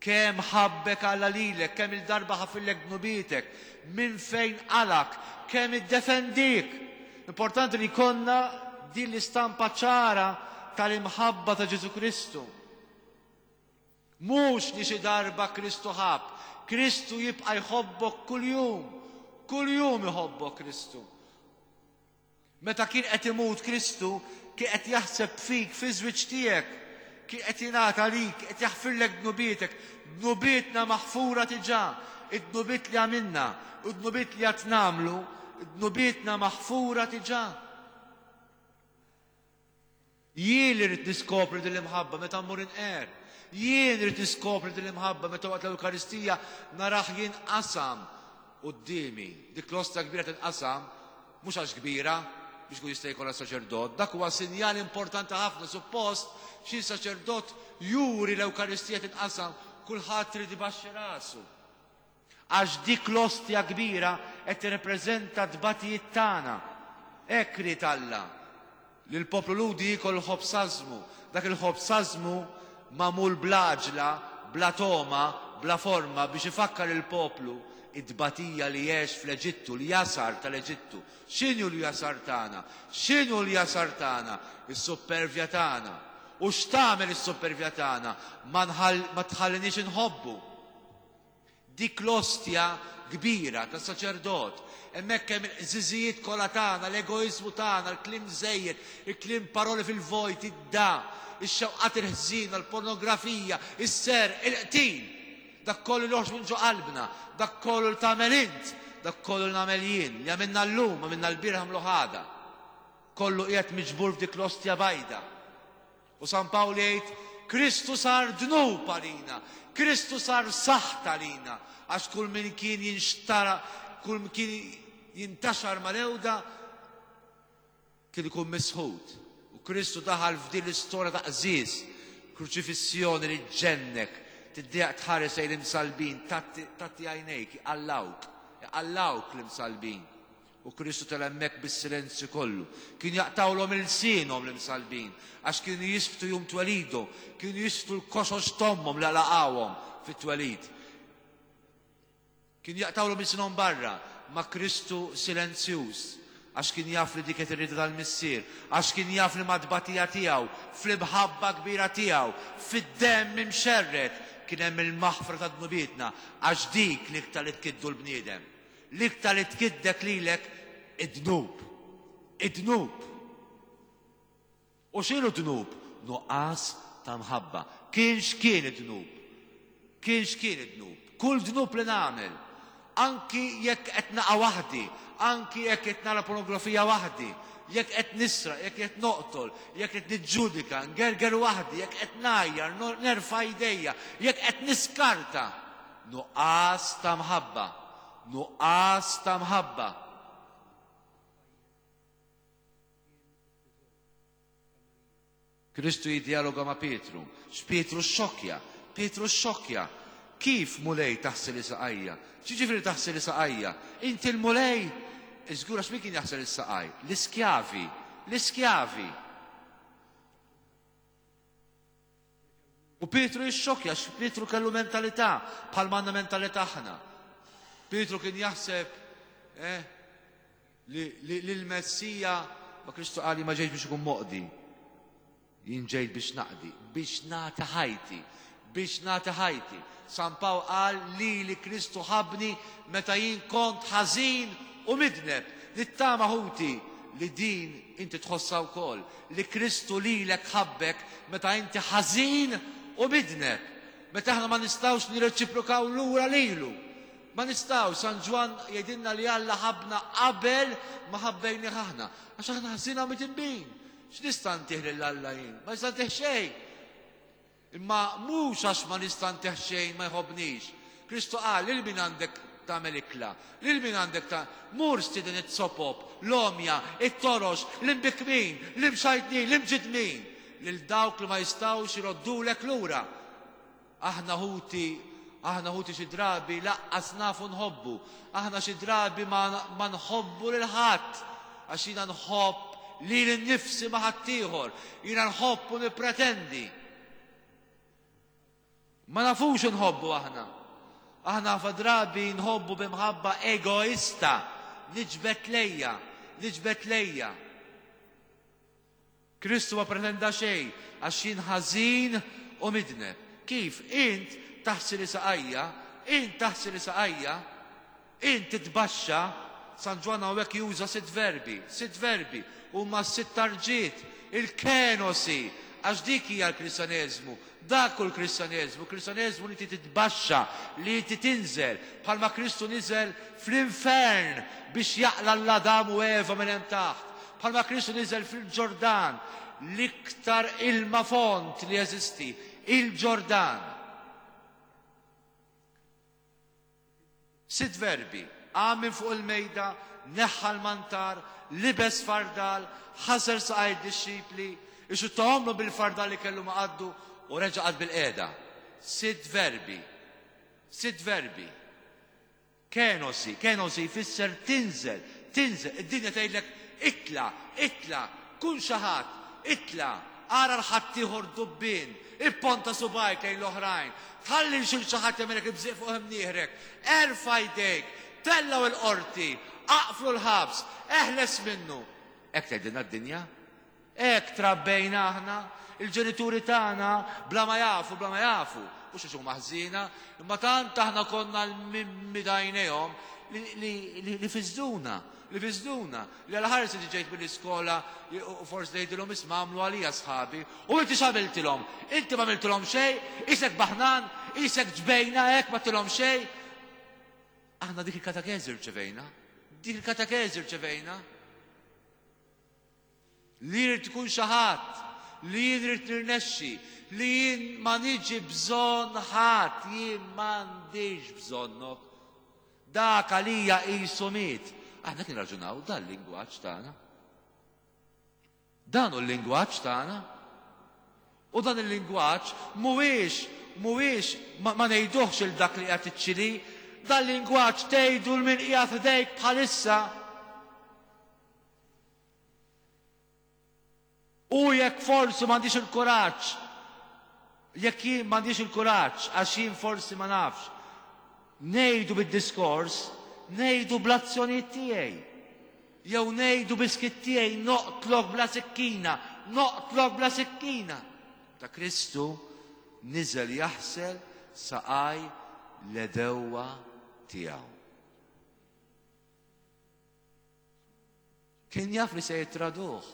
Kemm ħabbek Alla lilek, kemm il-darba ħafillek dnubietek, minn fejn qalak, kemm iddefendik. Importanti li jkollna din l-istampa ċara tal-imħabba ta' Ġesù Kristu. Mhux li xi darba Kristu ħabb, Kristu jibqa' jħobbok kuljum, kuljum iħobbok Kristu. Meta kien qed imut Kristu, kien qed jaħseb fik, fiż-żwieġ tiegħek. Kien qed jingħata għalik, qed jaħfirlek dnubietek. Dnubietna maħfura diġà. Id-dnubiet li għamilna, u d-dnubiet li għad nagħmlu, dnubietna maħfura diġà. Jien li rrid niskopri din l-imħabba meta mmur inqer. Jien rrid niskopri din l-imħabba meta waqt l-Ewkaristija narah jinqasam quddiemi. Dik l-ostra kbira tinqasam mhux għax kbira biex ikun jista' jkollha saċerdot. Dak huwa sinjal importanti ħafna. Suppost xi saċerdot juri l-Ewkaristija tinqasam, kulħadd irid ibaxxi rasu. Għax dik l-ostja kbira qed tirrepreżenta t-tbatijiet tagħna. Hekk ried Alla, li l-poplu Lhudi jiekol il-ħobż ażmu, dak il-ħobż ażmu magħmul bl-għaġla, bla togħma, bla forma, biex ifakkar lill-poplu t-tbatija li għex fl-Eġittu, l-jasar tal-Eġittu. X'inhu l-jasar tagħna? X'inhu l-jasar tagħna? Is-suppervja tagħna. U x'tagħmel is-suppervja tagħna? Ma tħalliniex inħobbu. Dik l-ostja kbira tas-saċerdot. Hemmhekk hemm il-qżiżijiet kollha tagħna, l-egoiżmu tagħna, l-kliem żejjed, il-kliem paroli fil-vojt, id-da, ix-xewqat il-ħżiena, l-pornografija, is-serq, il-qtil. Dak kollu li joħroġ minn ġo qalbna, dak kollu li tagħmel int, dak kollu li nagħmel jien, li għamilna llum, għamilna lbieraħ, nagħmluh għada. Kollu qiegħed miġbur f'dik l-ostja bajda. U San Pawl jgħid, Kristu sar dnub għalina, Kristu sar saħt għalina, għax kull min kien jinxtara, kull min kien jintaxar mal-ewda, kien ikun misħut. U Kristu daħal f'din l-istorja ta' qżież, kruċifissjoni li ġġennek, tiddejjaq tħares lejn l-imsallbin, tgħatti għajnejk, iqallgħuk, iqallgħuk l-imsallbin. U Kristu tela' hemmhekk bis-silenzju kollu. Kienu jaqtgħulhom ilsienhom l-imsallbin, għax kienu jisftu jum twelidu, kienu jisftu l-koxox t'ommhom li laqgħuhom fit-twelid. Kienu jaqtgħulhom ilsienhom barra, ma Kristu silenzjuż, għax kien jaf li dik kienet ir-rieda tal-Missier, għax kien jaf li mat-tbatija tiegħu, fl-imħabba kbira tiegħu, fid-demm imxerred, kien hemm il-maħfra ta' dnubietna, għax dik l-iktar li tkiddu l-bniedem. L-iktar li tkiddek lilek id-dnub. Id-dnub. U x'inhu dnub? Nuqqas ta' mħabba. Kien x'kien id-dnub. Kien x'kien id-dnub. Kull dnub li nagħmel, anki jekk qed naqa' waħdi, anki jekk qed nara pornografija waħdi, jekk qed nisraq, jekk qed noqtol, jekk qed niġġudika, ngerger waħdi, jekk qed ngħajjar, nerfa' jdejja, jekk qed niskarta. Nuqqas ta' mħabba. Nuqqas ta' mħabba. Kristu jiddjaloga ma' Pietru. X'Pietru xxokkja? Pietru xxokkja. Kif, Mulej, taħsel saqajja? X'jiġifieri taħsel saqajja? Inti l-Mulej? Żgur għax min kien jaħsel is-saqaj? L-iskjavi. L-iskjavi. U Pietru jixxokkja għax Pietru kellu mentalità bħalma għandna mentalità aħna. Pietru kien jaħseb eh, li l-Messija ma Kristu qal ma ġejx biex ikun moqdi. Jien ġejt biex naqdi, biex nagħti ħajti, biex nagħti ħajti. San Pawl qal li li Kristu ħabni meta jien kont ħażin u midneb. Nittama ħuti li din inti tħossha wkoll, li Kristu lilek ħabbek meta inti ħażin u midneb, meta aħna ma nistgħux nirreċiprokaw lura lilu. Ma nistgħux, San Ġwann jgħidilna li Alla ħabbna qabel ma ħabbejnih aħna, għax aħna ħżiena u midinbin. X'nista' ntih lil Alla jien? Ma nista' ntih xejn. Imma mhux għax ma nista' ntih xejn ma jħobbnix. Kristu qal, lil min għandek tagħmel ikla? Lil min għandek ta' mur stieden it-sopop, l-għomja, it-torox, l-imbikkmin, l-imxajtnin, l-imġiddmin, lil dawk li ma jistgħux iroddulek lura. Aħna ħuti, aħna ħuti xi drabi laqqas nafu nħobbu. Aħna xi drabi ma, ma nħobbu lil ħadd għax jiena nħobb lili nnifsi ma' ħaddieħor. Jiena nħobb u nippretendi. Ma nafux nħobbu aħna. Aħna ħafna drabi nħobbu bi mħabba egoista, niġbed lejja, niġbed lejja. Kristu ma pretenda xejn għax jien ħażin u midneb. Kif? Int taħsili saqajja, int taħsili saqajja, int titbaxxa, San Ġwann hawnhekk juża sitt verbi, sitt verbi, huma s-sitt tarġiet, il-kenosi, għax dik hija l-Kristjaneżmu, dak hu l-Kristjaneżmu, Kristjaneżmu li inti titbaxxa, li inti tinżel, bħalma Kristu niżel fl-infern biex jaqla' 'l Adam u Eva minn hemm taħt, bħalma Kristu niżel fil-Ġordan, l-iktar ilma fond li jeżisti, il-Ġordan. Sitt verbi, qam minn fuq il-mejda, neħħa l-mantar, libes fardal, ħasel saqaj id-dixxipli, ixuttahomlu bil-fardal li kellu ma' qaddu u reġa' qagħad bilqiegħda. Sitt verbi. Sitt verbi. Kenosi, kenosi jfisser tinżel, tinżel. Id-dinja tgħidlek itla', itla', kun xi ħadd, itla', ara 'l ħaddieħor dubbien, ipponta subgħajk lejn l-oħrajn, tħallix lil xi ħadd jagħmilek ibżieq fuq imnieħrek, erfa' jdejk, tellgħu l-qorti, aqflu l-ħabs, eħles minnu. Hekk tgħidilna d-dinja. Hekk trabbejna aħna, il-ġenituri tagħna bla ma jafu, bla ma jafu, mhux għax huma ħżiena, imma tant aħna konna l-mimmi t'għajnejhom li li fiżduna, li fiżduna, li għal ħares li ġejt mill-iskola u forsi tgħidilhom isma' għamlu għalija sħabi u inti x'għamiltilhom? Inti ma għamiltilhom xejn, isek baħnan, isek ġbejna hekk ma tilhom xejn. Aħna dik il-katekeżi rċevejna, dik il-katekeżi rċevejna. Li jrid tkun xi ħadd, li jien rrid nirnexxi, li jien ma niġi bżonn ħadd, jien m'għandix bżonnok. Dak għalija qisu miet. Aħna kien raġunaw dan lingwaġġ tagħna. Dan hu l-lingwaġġ tagħna. U dan il-lingwaġġ mhuwiex mhuwiex ma, ma ngħiduhx il dak li qiegħed iċ-Ċili, dan lingwaġġ tgħidu l min qiegħed ħdejk bħalissa. U jekk forsi m'għandix il-kuraġġ, jekk jien m'għandix il-kuraġġ għax jien forsi ma nafx, ngħidu bid-diskors, ngħidu bl-azzjonijiet tiegħi. Jew ngħidu biskit tiegħi noqtlok bla sikkina, noqtlok bla sikkina. Ta' Kristu niżel jaħsel saqaj l-edewwa tiegħu. Kien jaf li se jittraduh.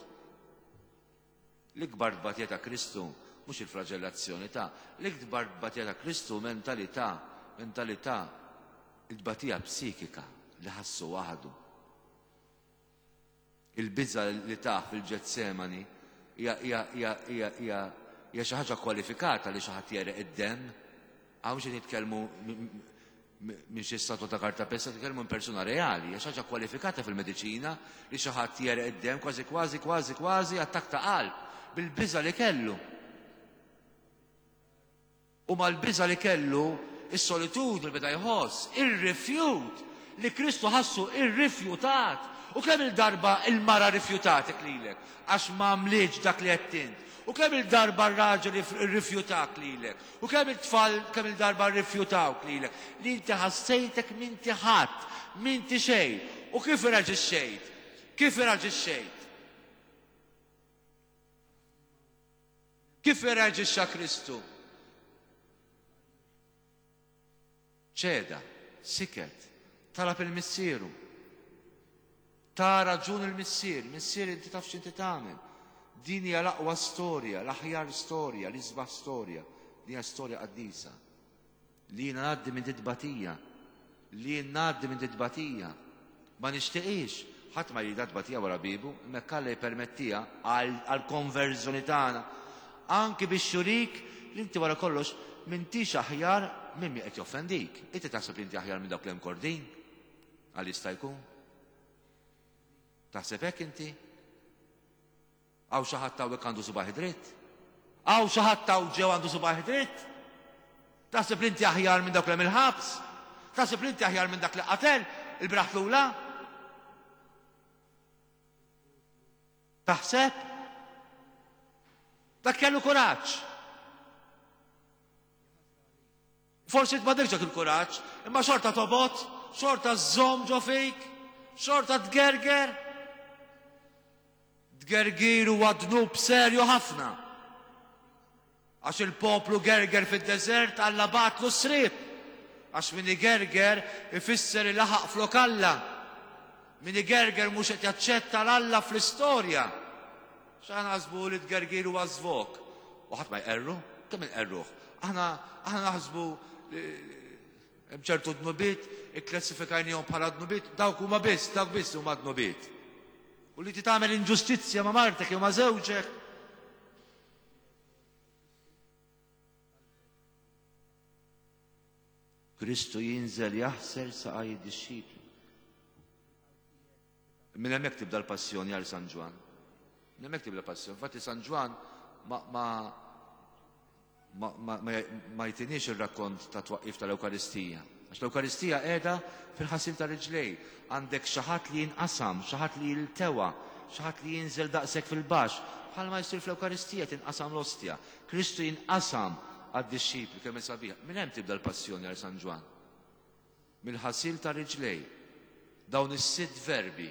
L-ikbar tbatija ta' Kristu mhux il-flaġellazzjoni ta' l-ikbar tbatija ta' Kristu mentalità, mentalità, il-tbatija psikika li ħassu waħdu. Il-biża li tah fil-Ġetsemani hija hija hija hija hija hija xi ħaġa kwalifikata li xi ħadd jereq id-demm. Hawn xi nitkellmu minn xi statwa ta' kartapesta, nitkellmu minn persuna reali, hija xi ħaġa kwalifikata fil-mediċina li xi ħadd jereq id-demm kważi kważi kważi kważi attakk ta' qalb bil-biża li kellu. U mal-biża li kellu, is-solitudni li beda jħoss, ir-rifjut li Kristu ħassu irrifjutat. U kemm il-darba il-mara rifjutatek lilek għax ma għamlitx dak li qed int. U kemm il-darba r-raġel irrifjutak lilek. U kemm it-tfal kemm il-darba rrifjutawk lilek li inti ħassejtek m'inti ħadd, m'inti xejn. U kif irreaġixxejt? Kif irreaġixxejt? Kif irreaġixxa Kristu? Ċeda, siket, talab il-Missieru. Ta raġun il-Missier, Missier inti taf x'inti tagħmel. Din hija l-aqwa storja, l-aħjar storja, l-isbaħ storja. Din hija storja qaddisa. Li jiena ngħaddi minn titbatija. Li jien ngħaddi minn titbatija. Ma nixtieqix, ħadd ma jridha tbatija wara biebu, imma jekk Alla jippermettiha għall-konverżjoni tagħna, anki biex jurik li inti wara kollox m'intix aħjar minn min qed joffendik. Inti taħseb li inti aħjar minn dawk li hemm kordin? Għal jista' jkun? Taħseb hekk inti? Hawn xi ħadd hawnhekk għandu subgħajh dritt? Hawn xi ħadd hawn ġew għandu subgħajh dritt? Taħseb li inti aħjar minn dawk li hemm il-ħabs? Taħseb li inti aħjar minn dak li qatel il-bieraħ tlula? Taħseb? Dak kellu kuraġġ. Forsi int m'għandekx dak il-kuraġġ, imma xorta tobgħod, xorta żżomm ġo fik, xorta tgerger. Tgergir huwa dnub serju ħafna. Għax il-poplu gerger fid-deżert Alla bagħatlu s-sriep. Għax min igerger ifisser ilaħaq flok Alla. Min igerger mhux qed jaċċetta l-Alla fl-istorja. X'aħna naħsbu li t-tgergir huwa żvog. U ħadd ma jqerru, kemm inqerruh. Aħna aħna naħsbu hemm ċertu dnubiet ikklassifikajnihom bħala dnubiet, dawk huma biss, dawk biss huma dnubiet. U li tagħmel inġustizzja ma' martek jew ma' żewġek. Kristu jinżel jaħsel saqaj id-dixxipli. Minn hemmhekk tibda l-passjoni għal San Ġwann. Minn hemmhekk tibda l-passjoni. Infatti San Ġwann ma, ma, ma, ma, ma, ma jtiniex ir-rakkont ta' twaqqif tal-Ewkaristija. Għax l-Ewkaristija qiegħda fil-ħasil ta' riġlej. Għandek xi ħadd li jinqasam, xi ħadd li jiltewa, xi ħadd li jinżel daqshekk fil-baxx. Bħalma jsir fl-Ewkaristija tinqasam l-ostja. Kristu jinqasam għad-dixxipli kemm hi sabiħa. Minn hemm tibda l-passjoni għal San Ġwann. Mill-ħasil ta' riġlej. Dawn is-sitt verbi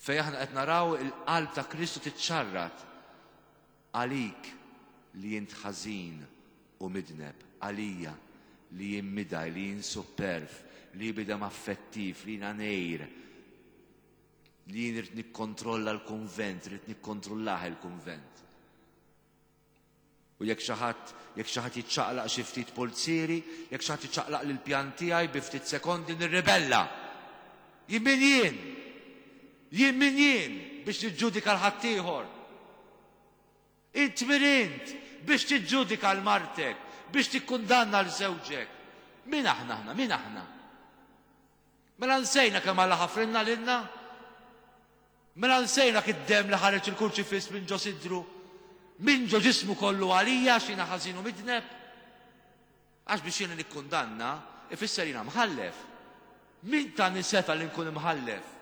fejn aħna qed naraw il-qalb ta' Kristu tiċċarrat għalik li int ħażin u midneb, għalija. Li jien midgħi, li jien supperv, li jien bniedem affettiv, li jiena ngħir, li jien irrid nikkontrolla l-kunvent, irrid nikkontrollah il-kunvent. U jekk xi ħadd jekk xi ħadd jiċċaqlaq xi ftit pulzieri, jekk xi ħadd iċaqlaq lill-pjan tiegħi bi ftit sekondi nirribella. Jien min jien? Jien min jien biex niġġudika 'l ħaddieħor? Int min int biex tiġġudika 'l martek, biex tikkundanna 'l żewġek? Min aħna aħna? Min aħna? Mela nsejna kemm Alla ħafrilna lilna? Mela nsejna dak id-demm li ħareġ il-kurċifiss minn ġo sidru, minn ġo ġismu kollu għalija għax jiena ħażin u midneb? Għax biex jiena nikkundanna, ifisser jiena mħallef. Min tani setgħa li nkun imħallef?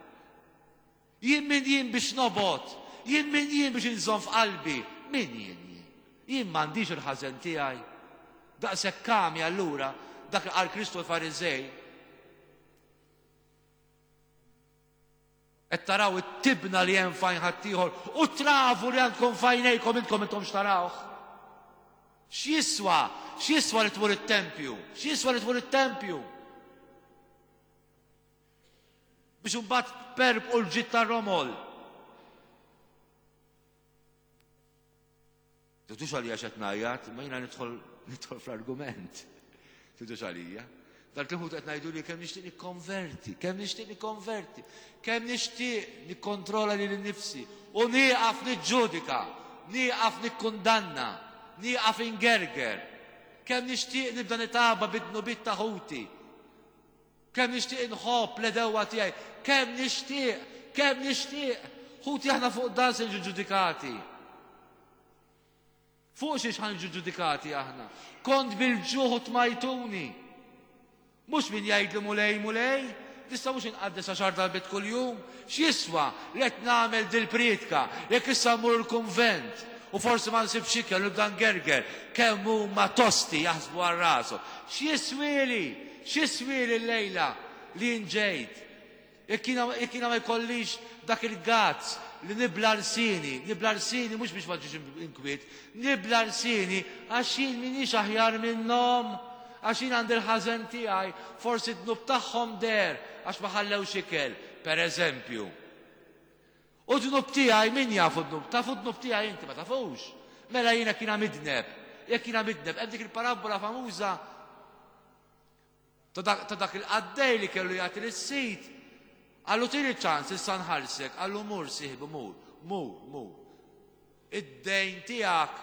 Jien min jien biex nobgħod? Jien min jien biex inżomm f'qalbi? Min jien jien? Jien m'għandix il-ħażen tiegħi. Daqshekk għami allura dak li qal Kristu l-Fariżej. Qed taraw it-tibna li hemm f'għajn ħaddieħor u t-travu li għandkom f'għajnejkom intkom intomx tarawh. X'jiswa? X'jiswa li tmur it-tempju? X'jiswa li tmur it-tempju? Biex imbagħad tperbqu l-ġid tar-romol. Tidux għalija x'qed ngħajjat, imma jiena nidħol nidħol fl-argument. Tidux għalija. Dak li ħut qed ngħidu li kemm nixtieq nikkonverti, kemm nixtieq nikkonverti, kemm nixtieq nikkontrolla lili nnifsi u nieqaf niġġudika, nieqaf nikkundanna, nieqaf ingerger. Kemm nixtieq nibda nitaba bid-dnubiet ta' ħuti. Kemm nixtieq inħobb l-għedewwa tiegħi, kemm nixtieq, kemm nixtieq. Ħuti aħna fuq dan se niġu ġudikati. Fuq xiex ħa niġu ġudikati aħna? Kont bil-ġuħ u tmajtuni. Mhux min jgħidli Mulej, Mulej, nista' mhux inqaddes għaxar darbiet kuljum. X'jiswa li qed nagħmel dil-prietka jekk issa mmur il-kunvent u forsi ma nsibx ikel u nibda ngerger kemm huma tosti jaħsbu għal rashom. X'jiswieli? X'jiswieli llejla li jien ġejt? Jekk jiena jekk jiena ma jkollix dak il-gazz li nibla' lsieni, nibla' lsieni mhux biex ma ġiex inkwiet, nibla' lsieni għax jien m'iniex aħjar minnhom, għax jien għandi l-ħażen tiegħi, forsi d-dnub tagħhom deher għax ma ħallewx ikel, per eżempju. U d-dnub tiegħi min jafu d-dnub? Tafu d-dnub tiegħi inti ma tafux. Mela jiena kiena midneb. Jekk jiena midneb, hemm dik il-parabbola famuża ta' dak il-qaddej li kellu jagħti lis-sid. Qallu tini ċans issa nħallsek, qallu mur sieħbi mur, mur, mur. Id-dejn tiegħek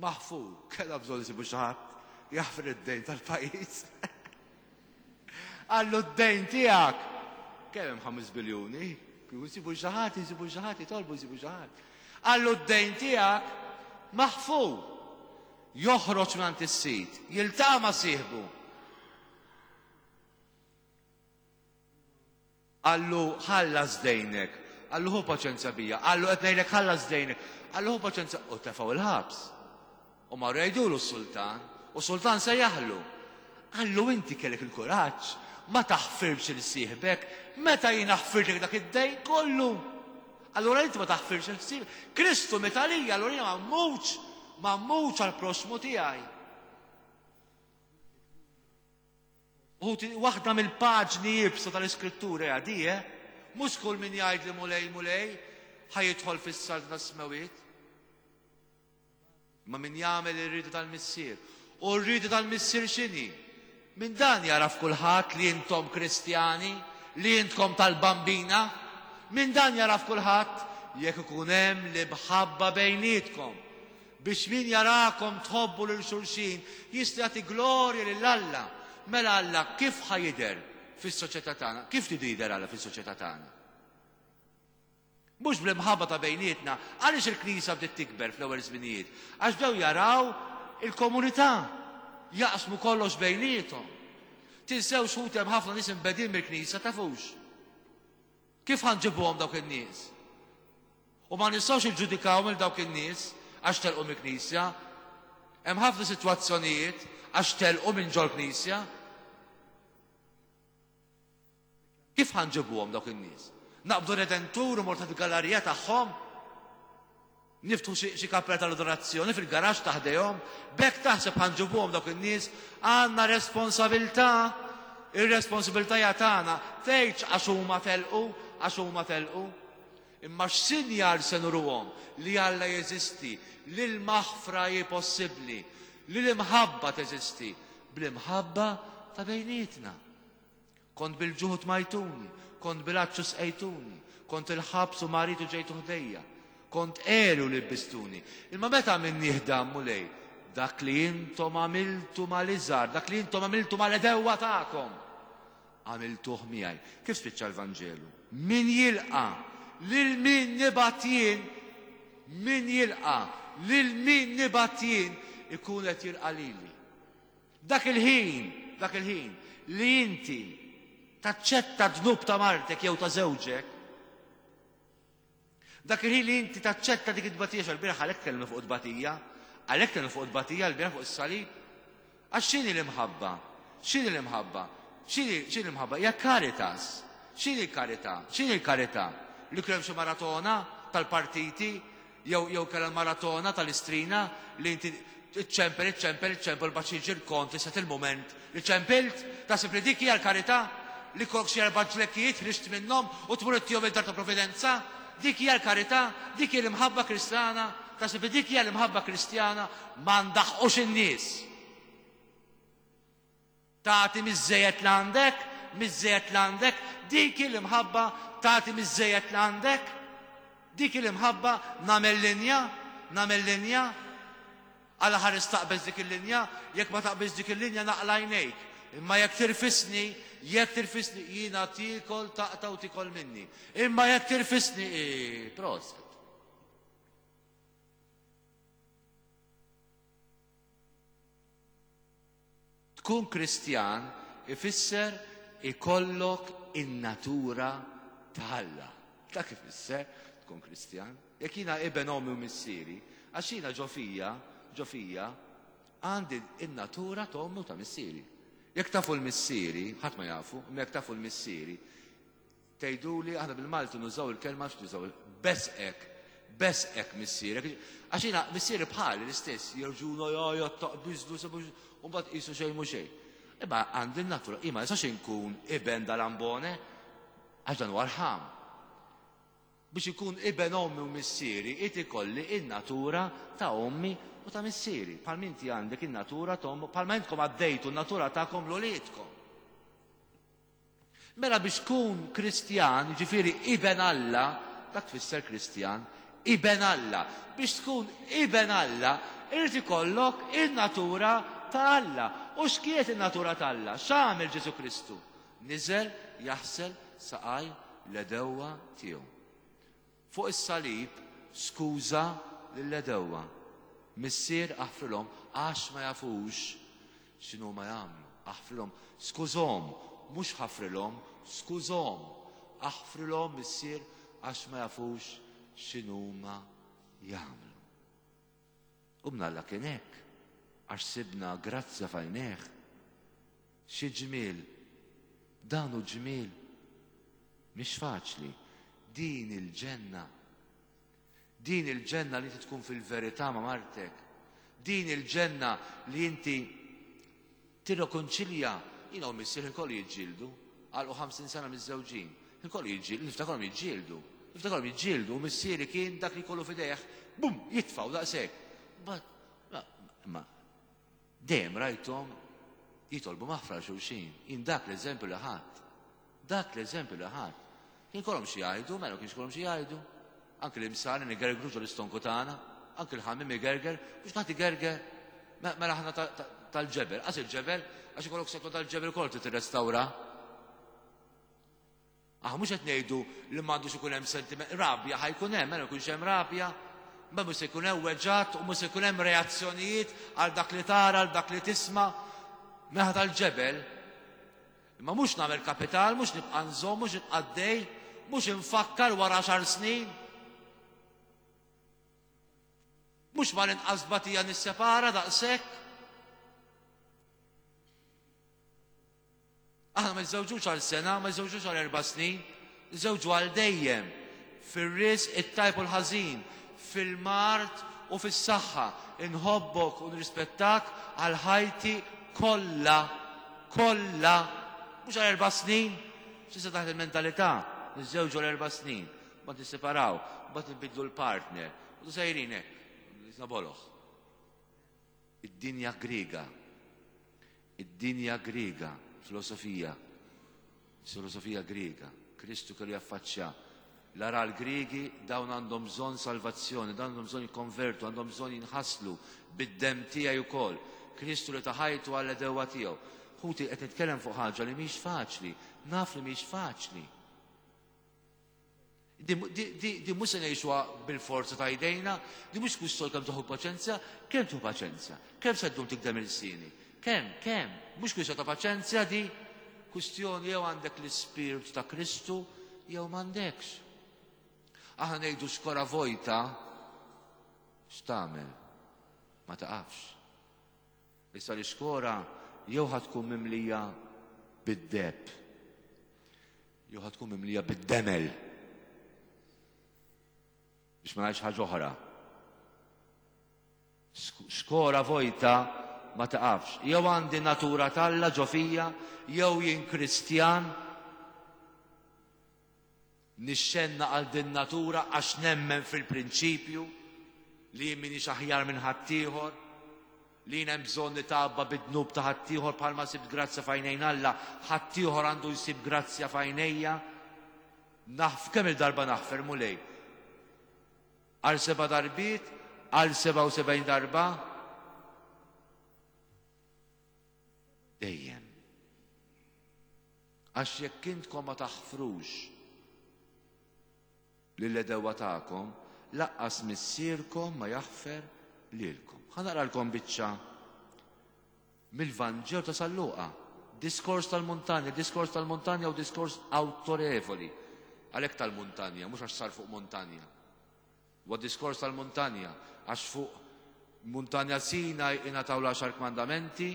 maħfur. Kellha bżonn isibu xi ħadd jaħfir id-dejn tal-pajjiż. Qallu d-dejn tiegħek. Kemm hemm 5 biljuni? Kieku jsibu xi ħadd, jsibu xi ħadd, jitolbu jsibu xi ħadd. Qallu d-dejn tiegħek maħfur. Joħroġ mingħand is-sid, jiltaqa' ma' sieħbu. Qallu, ħallas dejnek. Qallu, ħu paċenzja bija. Qallu, qed ngħidlek ħallas dejnek. Qallu, ħu paċenzja. U tefgħu il-ħabs. U marru jgħidulu s-sultan. U sultan sejjaħlu. Qallu, inti kellek il-kuraġġ ma taħfirx il sieħbek meta jiena ħfirtlek dak id-dejn kollu. Allura inti ma taħfirx il-ħsieb. Kristu miet għalija, allura jiena ma mmutx, ma mmutx għall-proxxmu tiegħi. Ħuti, waħda mill-paġni iebsa tal-Iskrittura hija di, eh? Mhux kull min jgħidli Mulej, Mulej, ħa jidħol fis-saltna tas-smewwiet. Imma min jagħmel ir-rieda tal-Missier. U r-rieda tal-Missier x'inhi? Minn dan jagħraf kulħadd li intom Kristjani, li intkom tal-Bambina. Minn dan jagħraf kulħadd jekk ikun hemm l-imħabba bejnietkom. Biex min jarakom tħobbu lil xulxin jista' jagħti glorja lil Alla. Mela Alla kif ħa jidher fis-soċjetà tagħna? Kif tridu jidher Alla fis-soċjetà tagħna? Mhux bl-imħabba ta' bejnietna. Għaliex il-Knisja bdiet tikber fl-ewwel żminijiet? Għax bdew jaraw il-komunità, jaqsmu kollox bejniethom. Tinsewx ħuti hemm ħafna nies imbegħdin mill-Knisja tafux. Kif ħa nġibuhom dawk in-nies? U ma nistgħux niġġudikaw lil dawk in-nies għax telqu mill-Knisja. Hemm ħafna sitwazzjonijiet għax telqu minn ġol-Knisja. Kif ħa nġibuhom dawk in-nies? Naqbdu Redentur u morru taħt il-gallarija tagħhom? Niftħu xi kappella tal-adorazzjoni fil-garaxx ta' ħdejhom, b'hekk taħseb ħa nġibuhom dawk in-nies? Għandna responsabilità, ir-responsabilità hija tagħna. Tgħidx għax huma telqu, għax huma telqu. Imma x'sinjal se nuruhom li Alla jeżisti, li l-maħfra hi possibbli, li l-imħabba teżisti, bl-imħabba ta' bejnietna. Kont bil-ġuħ u tmajtuni, kont bil-għatx u sqejtuni, kont il-ħabs u marid u ġejtu ħdejja, kont għeri u libbistuni. Imma meta għamilnieh dan, Mulej? Dak li intom għamiltu mal-iżgħar, dak li intom għamiltu mal-għedewwa tagħkom, għamiltuh miegħi. Kif spiċċa l-Vanġelu? Min jilqa' lil min nibgħat jien, min jilqa' lil min nibgħat jien, ikun qed jilqa' lili. Dak il-ħin, dak il-ħin li inti taċċetta d-dnub ta' martek jew ta' żewġek, dak il-ħin li inti taċċetta dik it-tbatija, x'al-bieraħ għalhekk tkellimna fuq it-tbatija, għalhekk tkellimna fuq it-tbatija l-bieraħ fuq is-salib. Għax x'inhi l-imħabba? X'inhi l-imħabba? X'inhi x'inhi l-imħabba? Hija caritas. X'inhi l-karità? X'inhi l-karità? Li kien hemm xi maratona tal-partiti Jew jew kellha l-maratona tal-Istrina li inti iċċempel, iċċempel, iċċempel mbagħad jiġi l-kont li sat il-mument li ċempilt, taħseb li dik hija l-karità? Li jkollok xi erba' ġlekkijiet ħriġt minnhom u tmur ittihom id-dar ta' Providenza? Dik hija l-karità? Dik hi l-imħabba Kristjana? Taħseb li dik hija l-imħabba Kristjana? Ma ndaħqux in-nies! Tagħti miż-żejjed li għandek, miż-żejjed li għandek, dik hi l-imħabba, tagħti miż-żejjed li għandek. Dik hi l-imħabba, nagħmel linja, nagħmel linja. Alla ħares taqbeż dik il-linja, jekk ma taqbeż dik il-linja naqla' għajnejk. Imma jekk tirfisni, jekk tirfisni, jiena tiekol taqta' u tiekol minni. Imma jekk tirfisni, proset. Tkun Kristjan ifisser ikollok in-natura ta' Alla. Dak ifisser tkun Kristjan. Jekk jiena iben ommi u missieri, għax jiena ġo fija, ġo fija, għandi n-natura ta' ommi u ta' missieri. Jekk tafu l-missieri, ħadd ma jafu, imma jekk tafu l-missieri, Tgħiduli, aħna bil-Malti nużaw il-kelma x'nużaw, besqek, besqek missierek. Għax jiena missieri bħali l-istess, jerġuna jgħajjat taqbiżlu u mbagħad qisu xejn mhu xejn. Imma għandi n-natura, jien ma nistax inkun iben dal-ambone għax dan huwa rħam. Biex ikun iben ommi u missieri, irid ikolli in-natura ta' ommi u ta' missieri. Bħal inti għandek in-natura ta' ommi, bħalma intkom għaddejtu n-natura tagħkom l-uliedkom. Mela biex tkun Kristjan, jiġifieri iben Alla, dak tfisser Kristjan, iben Alla. Biex tkun iben Alla, irid ikollok in-natura ta' Alla. U x'kienet in-natura ta' Alla? X'għamel Ġesù Kristu? Niżel jaħsel saqaj l-għedewwa tiegħu. Fuq is-salib skuża lill-għedewwa. Missier aħfrilhom għax ma jafux x'inhuma jagħmlu. Aħfrilhom. Skużhom, mhux ħafrilhom, skużhom. Aħfrilhom Missier għax ma jafux x'inhuma jagħmlu. U mnalla kien hekk, għax sibna grazzja f'għajnejh. Xi ġmiel! Dan hu ġmiel! Mhix faċli. Din il-ġenna. Din il-ġenna li inti tkun fil-verità ma' martek. Din il-ġenna li inti tirrekonċilja. Jiena u missier ħin kollu jiġġieldu. Għalqu 50 sena miżżewġin. Ħin kollu jiġġieldu, niftakarhom jiġġieldu. Niftakarhom jiġġieldu u missieri kien dak li kollu f'idejh, bum, jitfgħu daqshekk. Ma Dejjem rajthom jitolbu maħfra għal xulxin. Jien dak l-eżempju li ħadt. Dak l-eżempju li ħadt. Kien ikollhom xi jgħidu, mela kienx ikollhom xi jgħidu. Anki l-imsari nigergru ġol istonku tagħna, anki l-ħamiem igerger, mhux kulħadd igerger. Mela aħna tal-ġebel, qas il-ġebel, għax ikollok seklu tal-ġebel ukoll trid tirrestawra. Aħna mhux qed ngħidu li m'għandux ikun hemm sentiment, rabja ħa jkun hemm, mela jkunx hemm rabja, ma mhux se jkun hemm weġgħat u mhux se jkun hemm reazzjonijiet għal dak li tara, għal dak li tisma' meħa tal-ġebel. Imma mhux nagħmel kapital, mhux nibqa' nżomm, mhux nibqa' għaddej, mhux infakkar wara għaxar snin. Mhux mal-inqas tbatija nissepara daqshekk. Aħna ma niżżewġux għal sena, ma niżżewġux għal erba' snin, niżżewġu għal dejjem. Fir-riżq it-tajb u l-ħażin, fil-mard u fis-saħħa. Inħobbok u nirrispettak għal ħajti kollha. Kollha. Mhux għal erba' snin. S'issa taħt il-mentalità niżżewġu għal erba' snin, mbagħad nisseparaw, mbagħad nbiddlu l-partner. U sejrin hekk, nisna boloh. Id-dinja Griega. Id-dinja Griega, filosofija. Filosofija Griega. Kristu kellu jaffaċċja l-ara l-Griegi dawn għandhom bżonn salvazzjoni, dawn għandhom bżonn jikkonvertu, għandhom bżonn jinħaslu bid-demm tiegħi wkoll. Kristu li ta ħajtu għall-għedewwa tiegħu. Ħuti qed nitkellem fuq ħaġa li mhix faċli, naf li mhix faċli. Di mhux se ngħixuha bil-forza ta' jdejna, di mhux kwistjoni kemm tieħu paċenzja, kemm tieħu paċenzja, kemm se ddum tikdem il-sieni, kemm, kemm, mhux kwistjoni ta' paċenzja di, kwistjoni jew għandek l-ispirtu ta' Kristu jew m'għandekx. Aħna ngħidu xkora vojta, x'tagħmel? Ma taqafx. Issa l-ixkora jew ħa tkun mimlija bid-deheb jew ħa tkun mimlija bid-demel. Biex ma ngħidx ħaġa oħra. Xkora vojta ma taqafx. Jew għandi natura t'Alla ġo fija, jew jien Kristjan Nixxennaq għal din natura għax nemmen fil-prinċipju li jien m'iniex aħjar minn ħaddieħor, li jien hemm bżonn nitgħabba bid-dnub ta' ħaddieħor bħalma sibt grazzja f'għajnejn Alla, ħaddieħor għandu jsib grazzja f'għajnejja. Naħf kemm il-darba naħfer Mulej? Għal seba' darbiet, għal 77 darba? Dejjem. Għax jekk intkom ma taħfrux lill-għedewwa tagħkom, laqqas Missierkom ma jaħfer lilkom. Ħa naqralkom biċċa mill-Vanġelu ta' San Luqa. Diskors tal-muntanja, diskors tal-muntanja u diskors awtorevoli. Għalhekk tal-muntanja, mhux għax sar fuq muntanja. Huwa diskors tal-muntanja, għax fuq muntanja Sinaj ingħataw l-għaxar kmandamenti,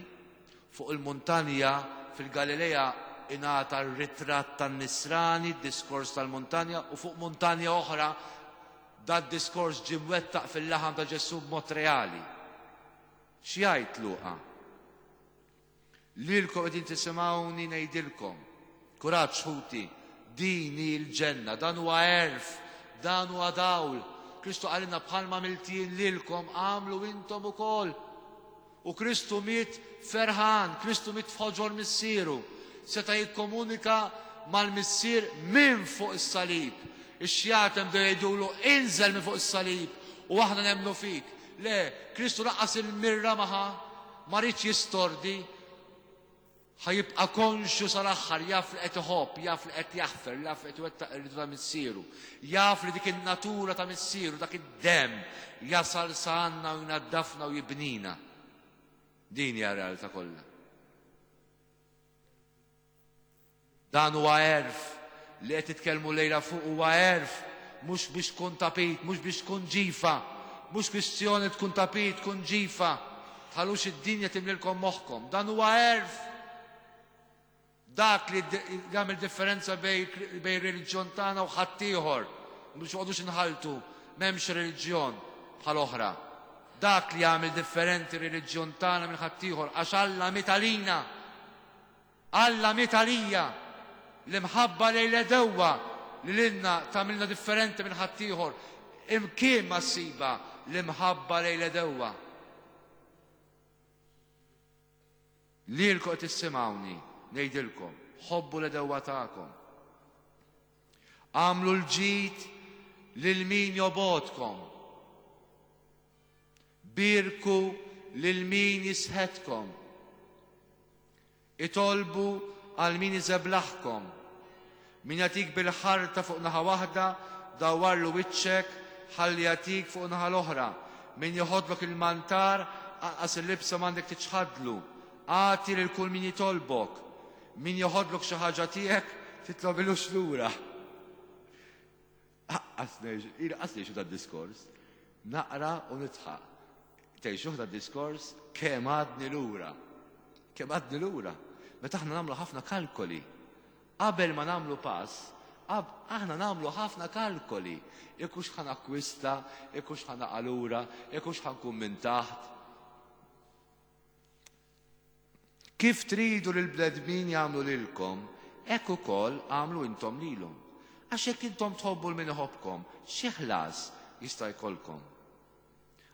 fuq il-muntanja fil-Galilea ingħata r-ritratt tan-nisrani, diskors tal-muntanja, u fuq muntanja oħra dad diskors ġie mwettaq fil-laħam ta' Ġesù b'mod reali. X'jgħid Luqa? Lilkom qegħdin tisimgħuni ngħidilkom, kuraġġ ħuti, din hi l-ġenna, dan huwa għerf, dan huwa dawl. Kristu qalilna bħalma għamilt jien lilkom agħmlu intom ukoll. U Kristu miet ferħan, Kristu miet f'ħoġor missieru. Seta' jikkomunika mal-missier minn fuq is-salib. Ix-xjaten bdew jgħidulu inżel minn fuq is-salib u aħna nemmnu fik. Le, Kristu lanqas il-mirra ma ħa. Ma riedx jistordi. Ħa jibqa' konxju sal-aħħar, jaf li qed iħobb, jaf li qed jaħfer, jaf li qed iwettaq ir-rieda ta' Missieru. Jaf li dik in-natura ta' Missieru, dak id-demm jasal sa għandna u jnaddafna u jibnina. Din hija r-realtà kollha. Dan huwa għerf li qed titkellmu llejla fuq huwa għerf mhux biex tkun tapit, mhux biex tkun ġifa, mhux kwistjoni tkun tapit, tkun ġifa. Tħallux id-dinja timlilkom moħħkom. Dan huwa għerf. Dak li jagħmel differenza bejn reliġjon tagħna u ħaddieħor. Mhux noqogħdux inħaltu, m'hemmx reliġjon bħal oħra. Dak li jagħmel differenti reliġjon tagħna minn ħaddieħor għax Alla miet għalina. Alla miet għalija. L-imħabba lejn l-għedewwa li lilna tagħmilna differenti minn ħaddieħor, imkien ma ssibha l-imħabba lejn l-għedewwa. Lilkom qed tissimgħuni ngħidilkom, ħobbu l-għedewwa tagħkom. Agħmlu l-ġid lil min jobgħodkom. Bierku lil min jisħetkom. Itolbu għal min iżeblaħkom. Min jagħtik bil-ħarta fuq naħa waħda, dawwarlu wiċċek ħalli jagħtik fuq naħa l-oħra. Min joħodlok il-mantar, anqas il-libsa m'għandek tiċħadlu. Agħti lil kull min jitolbok. Min joħodlok xi ħaġa tiegħek, titlobilux lura. Aqqas ngħix, ili qas ngħixu dad-diskors. Naqra u nidħaq. Tgħixuh dad-diskors kemm għadni lura. Kemm għadni lura. Meta aħna nagħmlu ħafna kalkoli. Qabel ma nagħmlu pass, Aħna nagħmlu ħafna kalkoli, jekk hux ħa nakkwista, jekk hux ħa naqa' lura, jekk hux ħa nkun minn taħt. Kif tridu li l-bnedmin jagħmlu lilkom, hekk ukoll agħmlu intom lilhom. Għax jekk intom tħobbu 'l min iħobbkom, xi ħlas jista' jkollkom?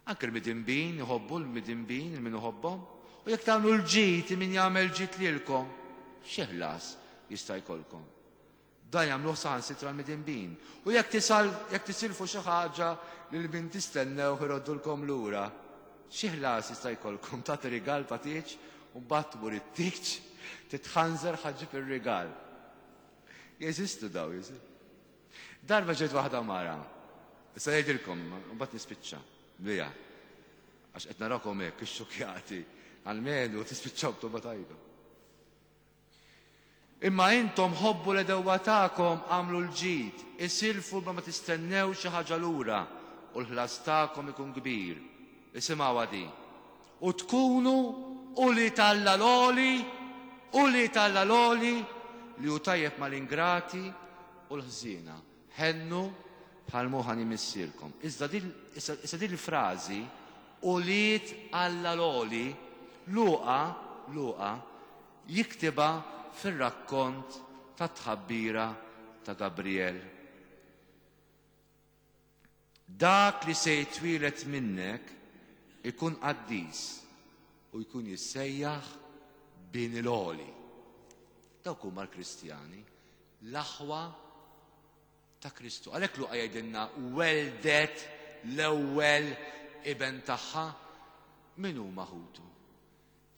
Anke l-midinbin iħobbu l-midinbin 'il min iħobbhom. U jekk tagħmlu l-ġid 'il min jagħmel ġid lilkom, xi ħlas jista' jkollkom? Dan jagħmluh saħansitra l-midinbin. U jekk tisal, jekk tisilfu xi ħaġa lil min tistennewh iroddulkom lura, xi ħlas jista' jkollkom? Tagħti rigal ta' tieġ u mbagħad tmur it-tieġ titħanżer ħa ġġib ir-rigal. Jeżistu daw, jeżistu. Darba ġiet waħda mara, issa ngħidilkom, mbagħad nispiċċa biha. Għax qed narakom hekk ixxukjati, almenu tispiċċaw b'toba tajba. Imma intom ħobbu l-għedewwa tagħkom, agħmlu l-ġid, isilfu bla ma tistennew xi ħaġa lura, u l-ħlas tagħkom ikun kbir. Isimgħuha din. U tkunu ulied Alla l-Għoli, ulied Alla l-Għoli, li hu tajjeb mal-ingrati u l-ħżiena. Ħennu bħal m'hu ħanin Missierkom. Iżda din, issa din il-frażi, ulied Alla l-Għoli, Luqa, Luqa, jiktibha fir-rakkont tat-tħabbira ta' Gabriel. Dak li se jitwieled minnek ikun qaddis u jkun jissejjaħ Bin il-Għoli. Dawk huma l-Kristjani, l-aħwa ta' Kristu. Għalhekk Luqa jgħidilna weldet l-ewwel iben tagħha. Min huma ħutu?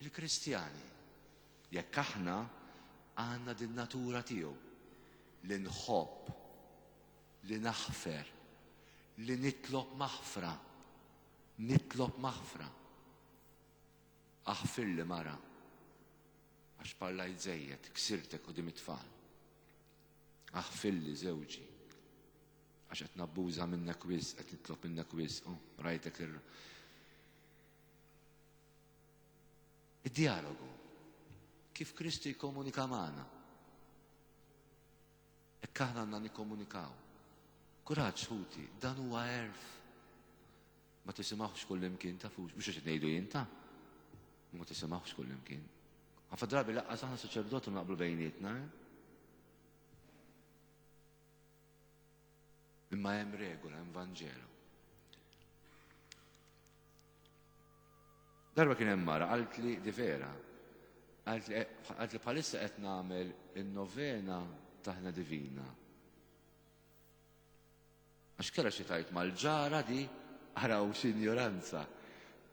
Il-Kristjani. Jekk aħna għandna din natura tiegħu li nħobb, li naħfer, li nitlob maħfra, nitlob maħfra. Aħfirli mara, għax parlajt żejjed, ksirtek quddiem it-tfal. Aħfirli żewġi, għax qed nabbuża minnek wisq, qed nitlob minnek wisq, oh, rajtek ir Id-dialogu, kif Kristu jikkomunika magħna. Hekk aħna għandna nikkomunikaw. Kuraġġ ħuti, dan huwa għerf. Ma tisimgħux kullimkien tafux, mhux qed ngħidu jien ta' ma tisimgħux kullimkien. Ħafna drabi laqqas aħna saċerdoti naqblu bejnietna, eh? Imma hemm regola, hemm Vanġelu. Darba kien hemm mara qaltli di vera. Qaltli bħalissa qed nagħmel in-novena ta' Ħna Divina. Għax kellha xi tgħid mal-ġara di araw x'injoranza.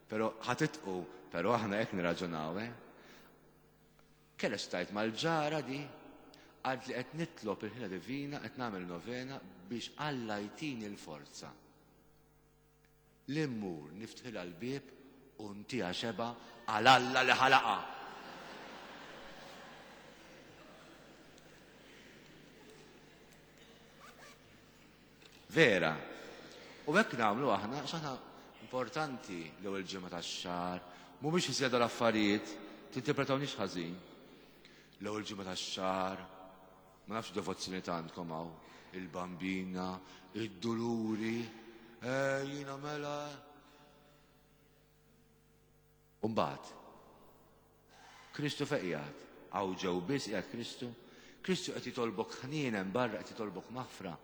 Però ħatitqu, però aħna hekk nirraġunaw, eh? Kellha xi tgħid mal-ġara di qaltli qed nitlob il-ħila divina, qed nagħmel novena biex Alla jtini l-forza. Li mmur niftħilha l-bieb u ntiha xebgħa għal Alla li ħalaqha. Vera. U hekk nagħmlu aħna għax aħna importanti l-ewwel ġimgħa tax-xahar, mhumiex iżjed l-affarijiet, tinterpretawniex ħażin. L-ewwel ġimgħa tax-xahar, Ma nafx devozzjoni ta' għandkom hawn. Il-bambina, id-duluri, eh, jiena mela. Umbagħad, Kristu fejn qiegħed? Hawn ġew biss qiegħed Kristu? Kristu qed jitolbok ħnien hemm barra qed jitolbok maħfra.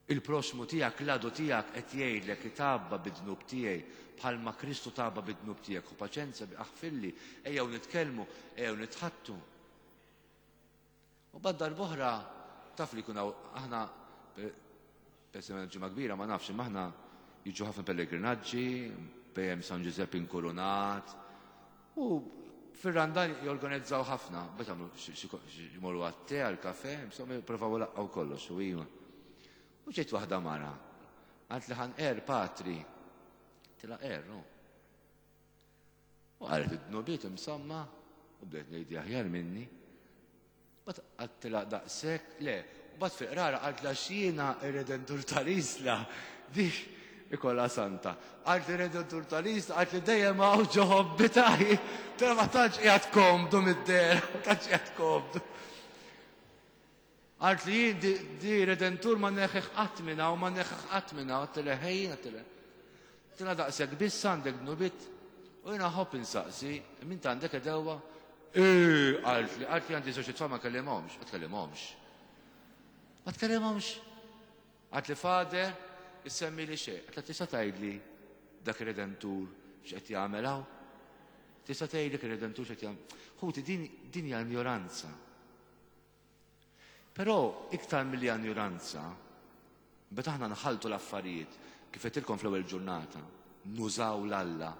Il-proxxmu tiegħek, l-għadu tiegħek qed jgħidlek itgħabba bid-dnub tiegħi bħalma Kristu tgħabba bid-dnub tiegħek. Ħu paċenzja, aħfirli, ejjew nitkellmu, ejjew nitħaddtu. U bad darb'oħra taf li jkun hawn aħna pereżempju ġimgħa kbira ma nafx imma aħna jiġu ħafna pellegrinaġġi, bejjem San Ġużepp inkurunat, U fir-Randan jorganizzaw ħafna, bet għamlu jmorru għat-te, għal-kafe, insomma jipprovaw laqqaw kollox u iva. U ġiet waħda mara, għalt li ħan er patri, tila er, no. U għalet id-dnubiet insomma, u bdejt ngħidi aħjar minni. Bat għattilha daqshekk, le, u bat fil-qrara qaltla x'jiena ir-redentur tal-Isla, dik ikollha santa. Qalt ir-redentur tal-Isla, qalt li dejjem hawn ġo ħobbi taj, però ma tantx qiegħed komdu mid-dehra, ma tantx qiegħed komdu. Qaltli jien di, di redentur ma neħħih qatt minn hawn, ma neħħih qatt minn hawn, għedtilha ħejjin, għedtilha. Għedtilha daqshekk biss għandek dnubiet u jiena ħobb insaqsi, min għandek edewa? Ee, qaltli, qaltli għandi żewġ tfal ma kellimhomx, ma tkellimhomx. Ma tkellimhomx. Qaltli Father, issemmili xejn. Għedtilha tista' tgħidli dak ir-redentur x'qed jagħmel hawn? Tista' tgħidli ir-redentur x'qed jagħmel? Ħuti din din hija injoranza. Però iktar milli anjuranza, meta aħna nħalltu l-affarijiet, kif għedtilkom fl-ewwel ġurnata, nużaw l-Alla,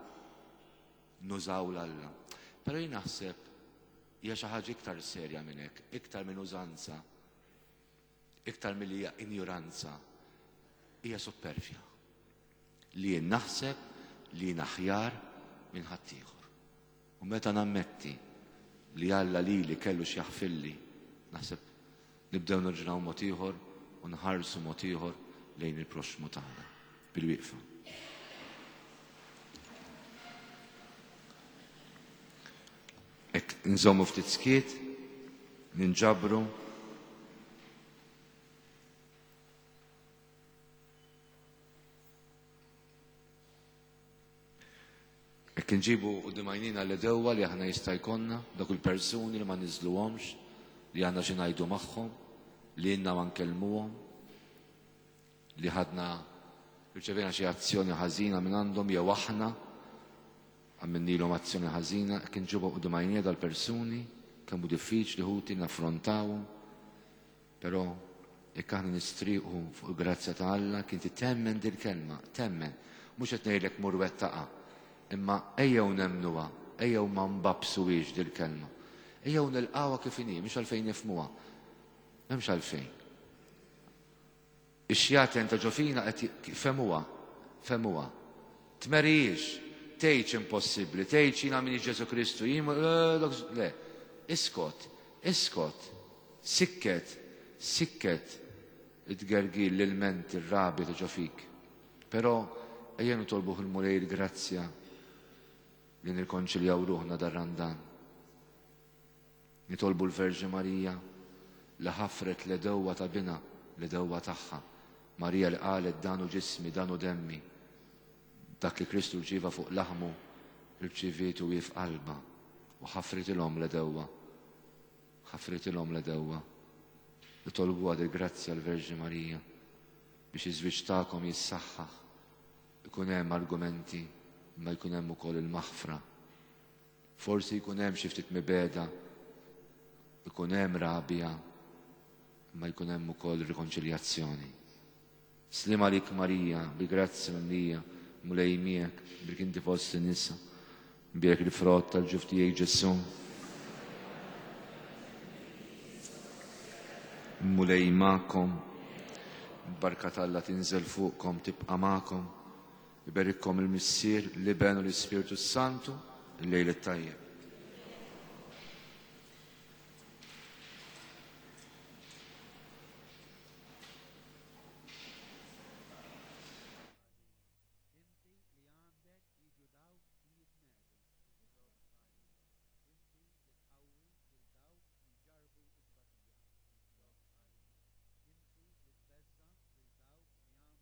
nużaw l-Alla. Però jien naħseb hija xi ħaġa iktar serja minn hekk, iktar minn użanza, iktar milli hija injuranza, hija suppervja. Li jien naħseb li jien aħjar minn ħaddieħor. U meta nammetti li Alla lili kellu x'jaħfirli, naħseb nibdew nirġunaw mod ieħor u nħarsu mod ieħor lejn il-proxxmu tagħna. Bil-wieqfa. Hekk nżommu ftit skiet, ninġabru. Hekk inġibu quddiem għajnina l-għedewwa li aħna jista' jkollna, dawk il-persuni li ma niżluhomx, li għandna xi ngħidu magħhom, li ilna ma nkellmuhom, li ħadna rċevejna xi azzjoni ħażina minn għandhom jew aħna għamilnilhom azzjoni ħażina, hekk inġibu quddiem għajnina dal-persuni, kemm hu diffiċli ħuti naffrontawhom. Però jekk aħna nistriequ fuq il-grazzja ta' Alla, kien inti temmen dil-kelma, temmen. Mhux qed ngħidlek mur wettaqha, imma ejjew nemmnuha, ejjew ma nbabsuhiex dil-kelma. Ejjew nilqgħuha kif inhi, mhux għalfejn nifhmuha. M'hemmx għalfejn. Ix-xjaten ta' ġo fina qed fehmuha, fehmuha. Tmerihiex, tgħidx impossibbli, tgħidx jiena minix Ġesù Kristu, jien le. Iskot, iskot, sikket, sikket it-tgergil, l-ilment, ir-rabja ta' ġo fik. Però ejja nitolbuh il-Mulej il-grazzja li nirkonċiljaw ruħna dar-Randan. Nitolbu l-Verġni Marija li ħafret l-għedewwa ta' binha, l-għedewwa tagħha. Marija li qalet dan hu ġismi, dan hu demmi. Dak li Kristu rċieva fuq laħmu, irċivietu hi f'qalbha u ħafritilhom l-għedewwa. Ħafritilhom l-għedewwa. Nitolbuha dil-grazzja l-Verġni Marija biex iż-żwieġ tagħkom jissaħħaħ. Ikun hemm argumenti, imma jkun hemm ukoll il-maħfra. Forsi jkun hemm xi ftit mibegħda, ikun hemm rabja, imma jkun hemm ukoll rikonċiljazzjoni. Sliem għalik Marija, bi grazzja mimlija, Mulej miegħek, brik inti fost in-nisa, mbierek il-frott tal-ġuf tiegħek Ġesù. Mulej magħkom, barka t'Alla tinżel fuqkom tibqa' magħkom. Iberikkom il-Missier, l-Iben u l-Ispirtu s-Santu, il-lejl it-tajjeb.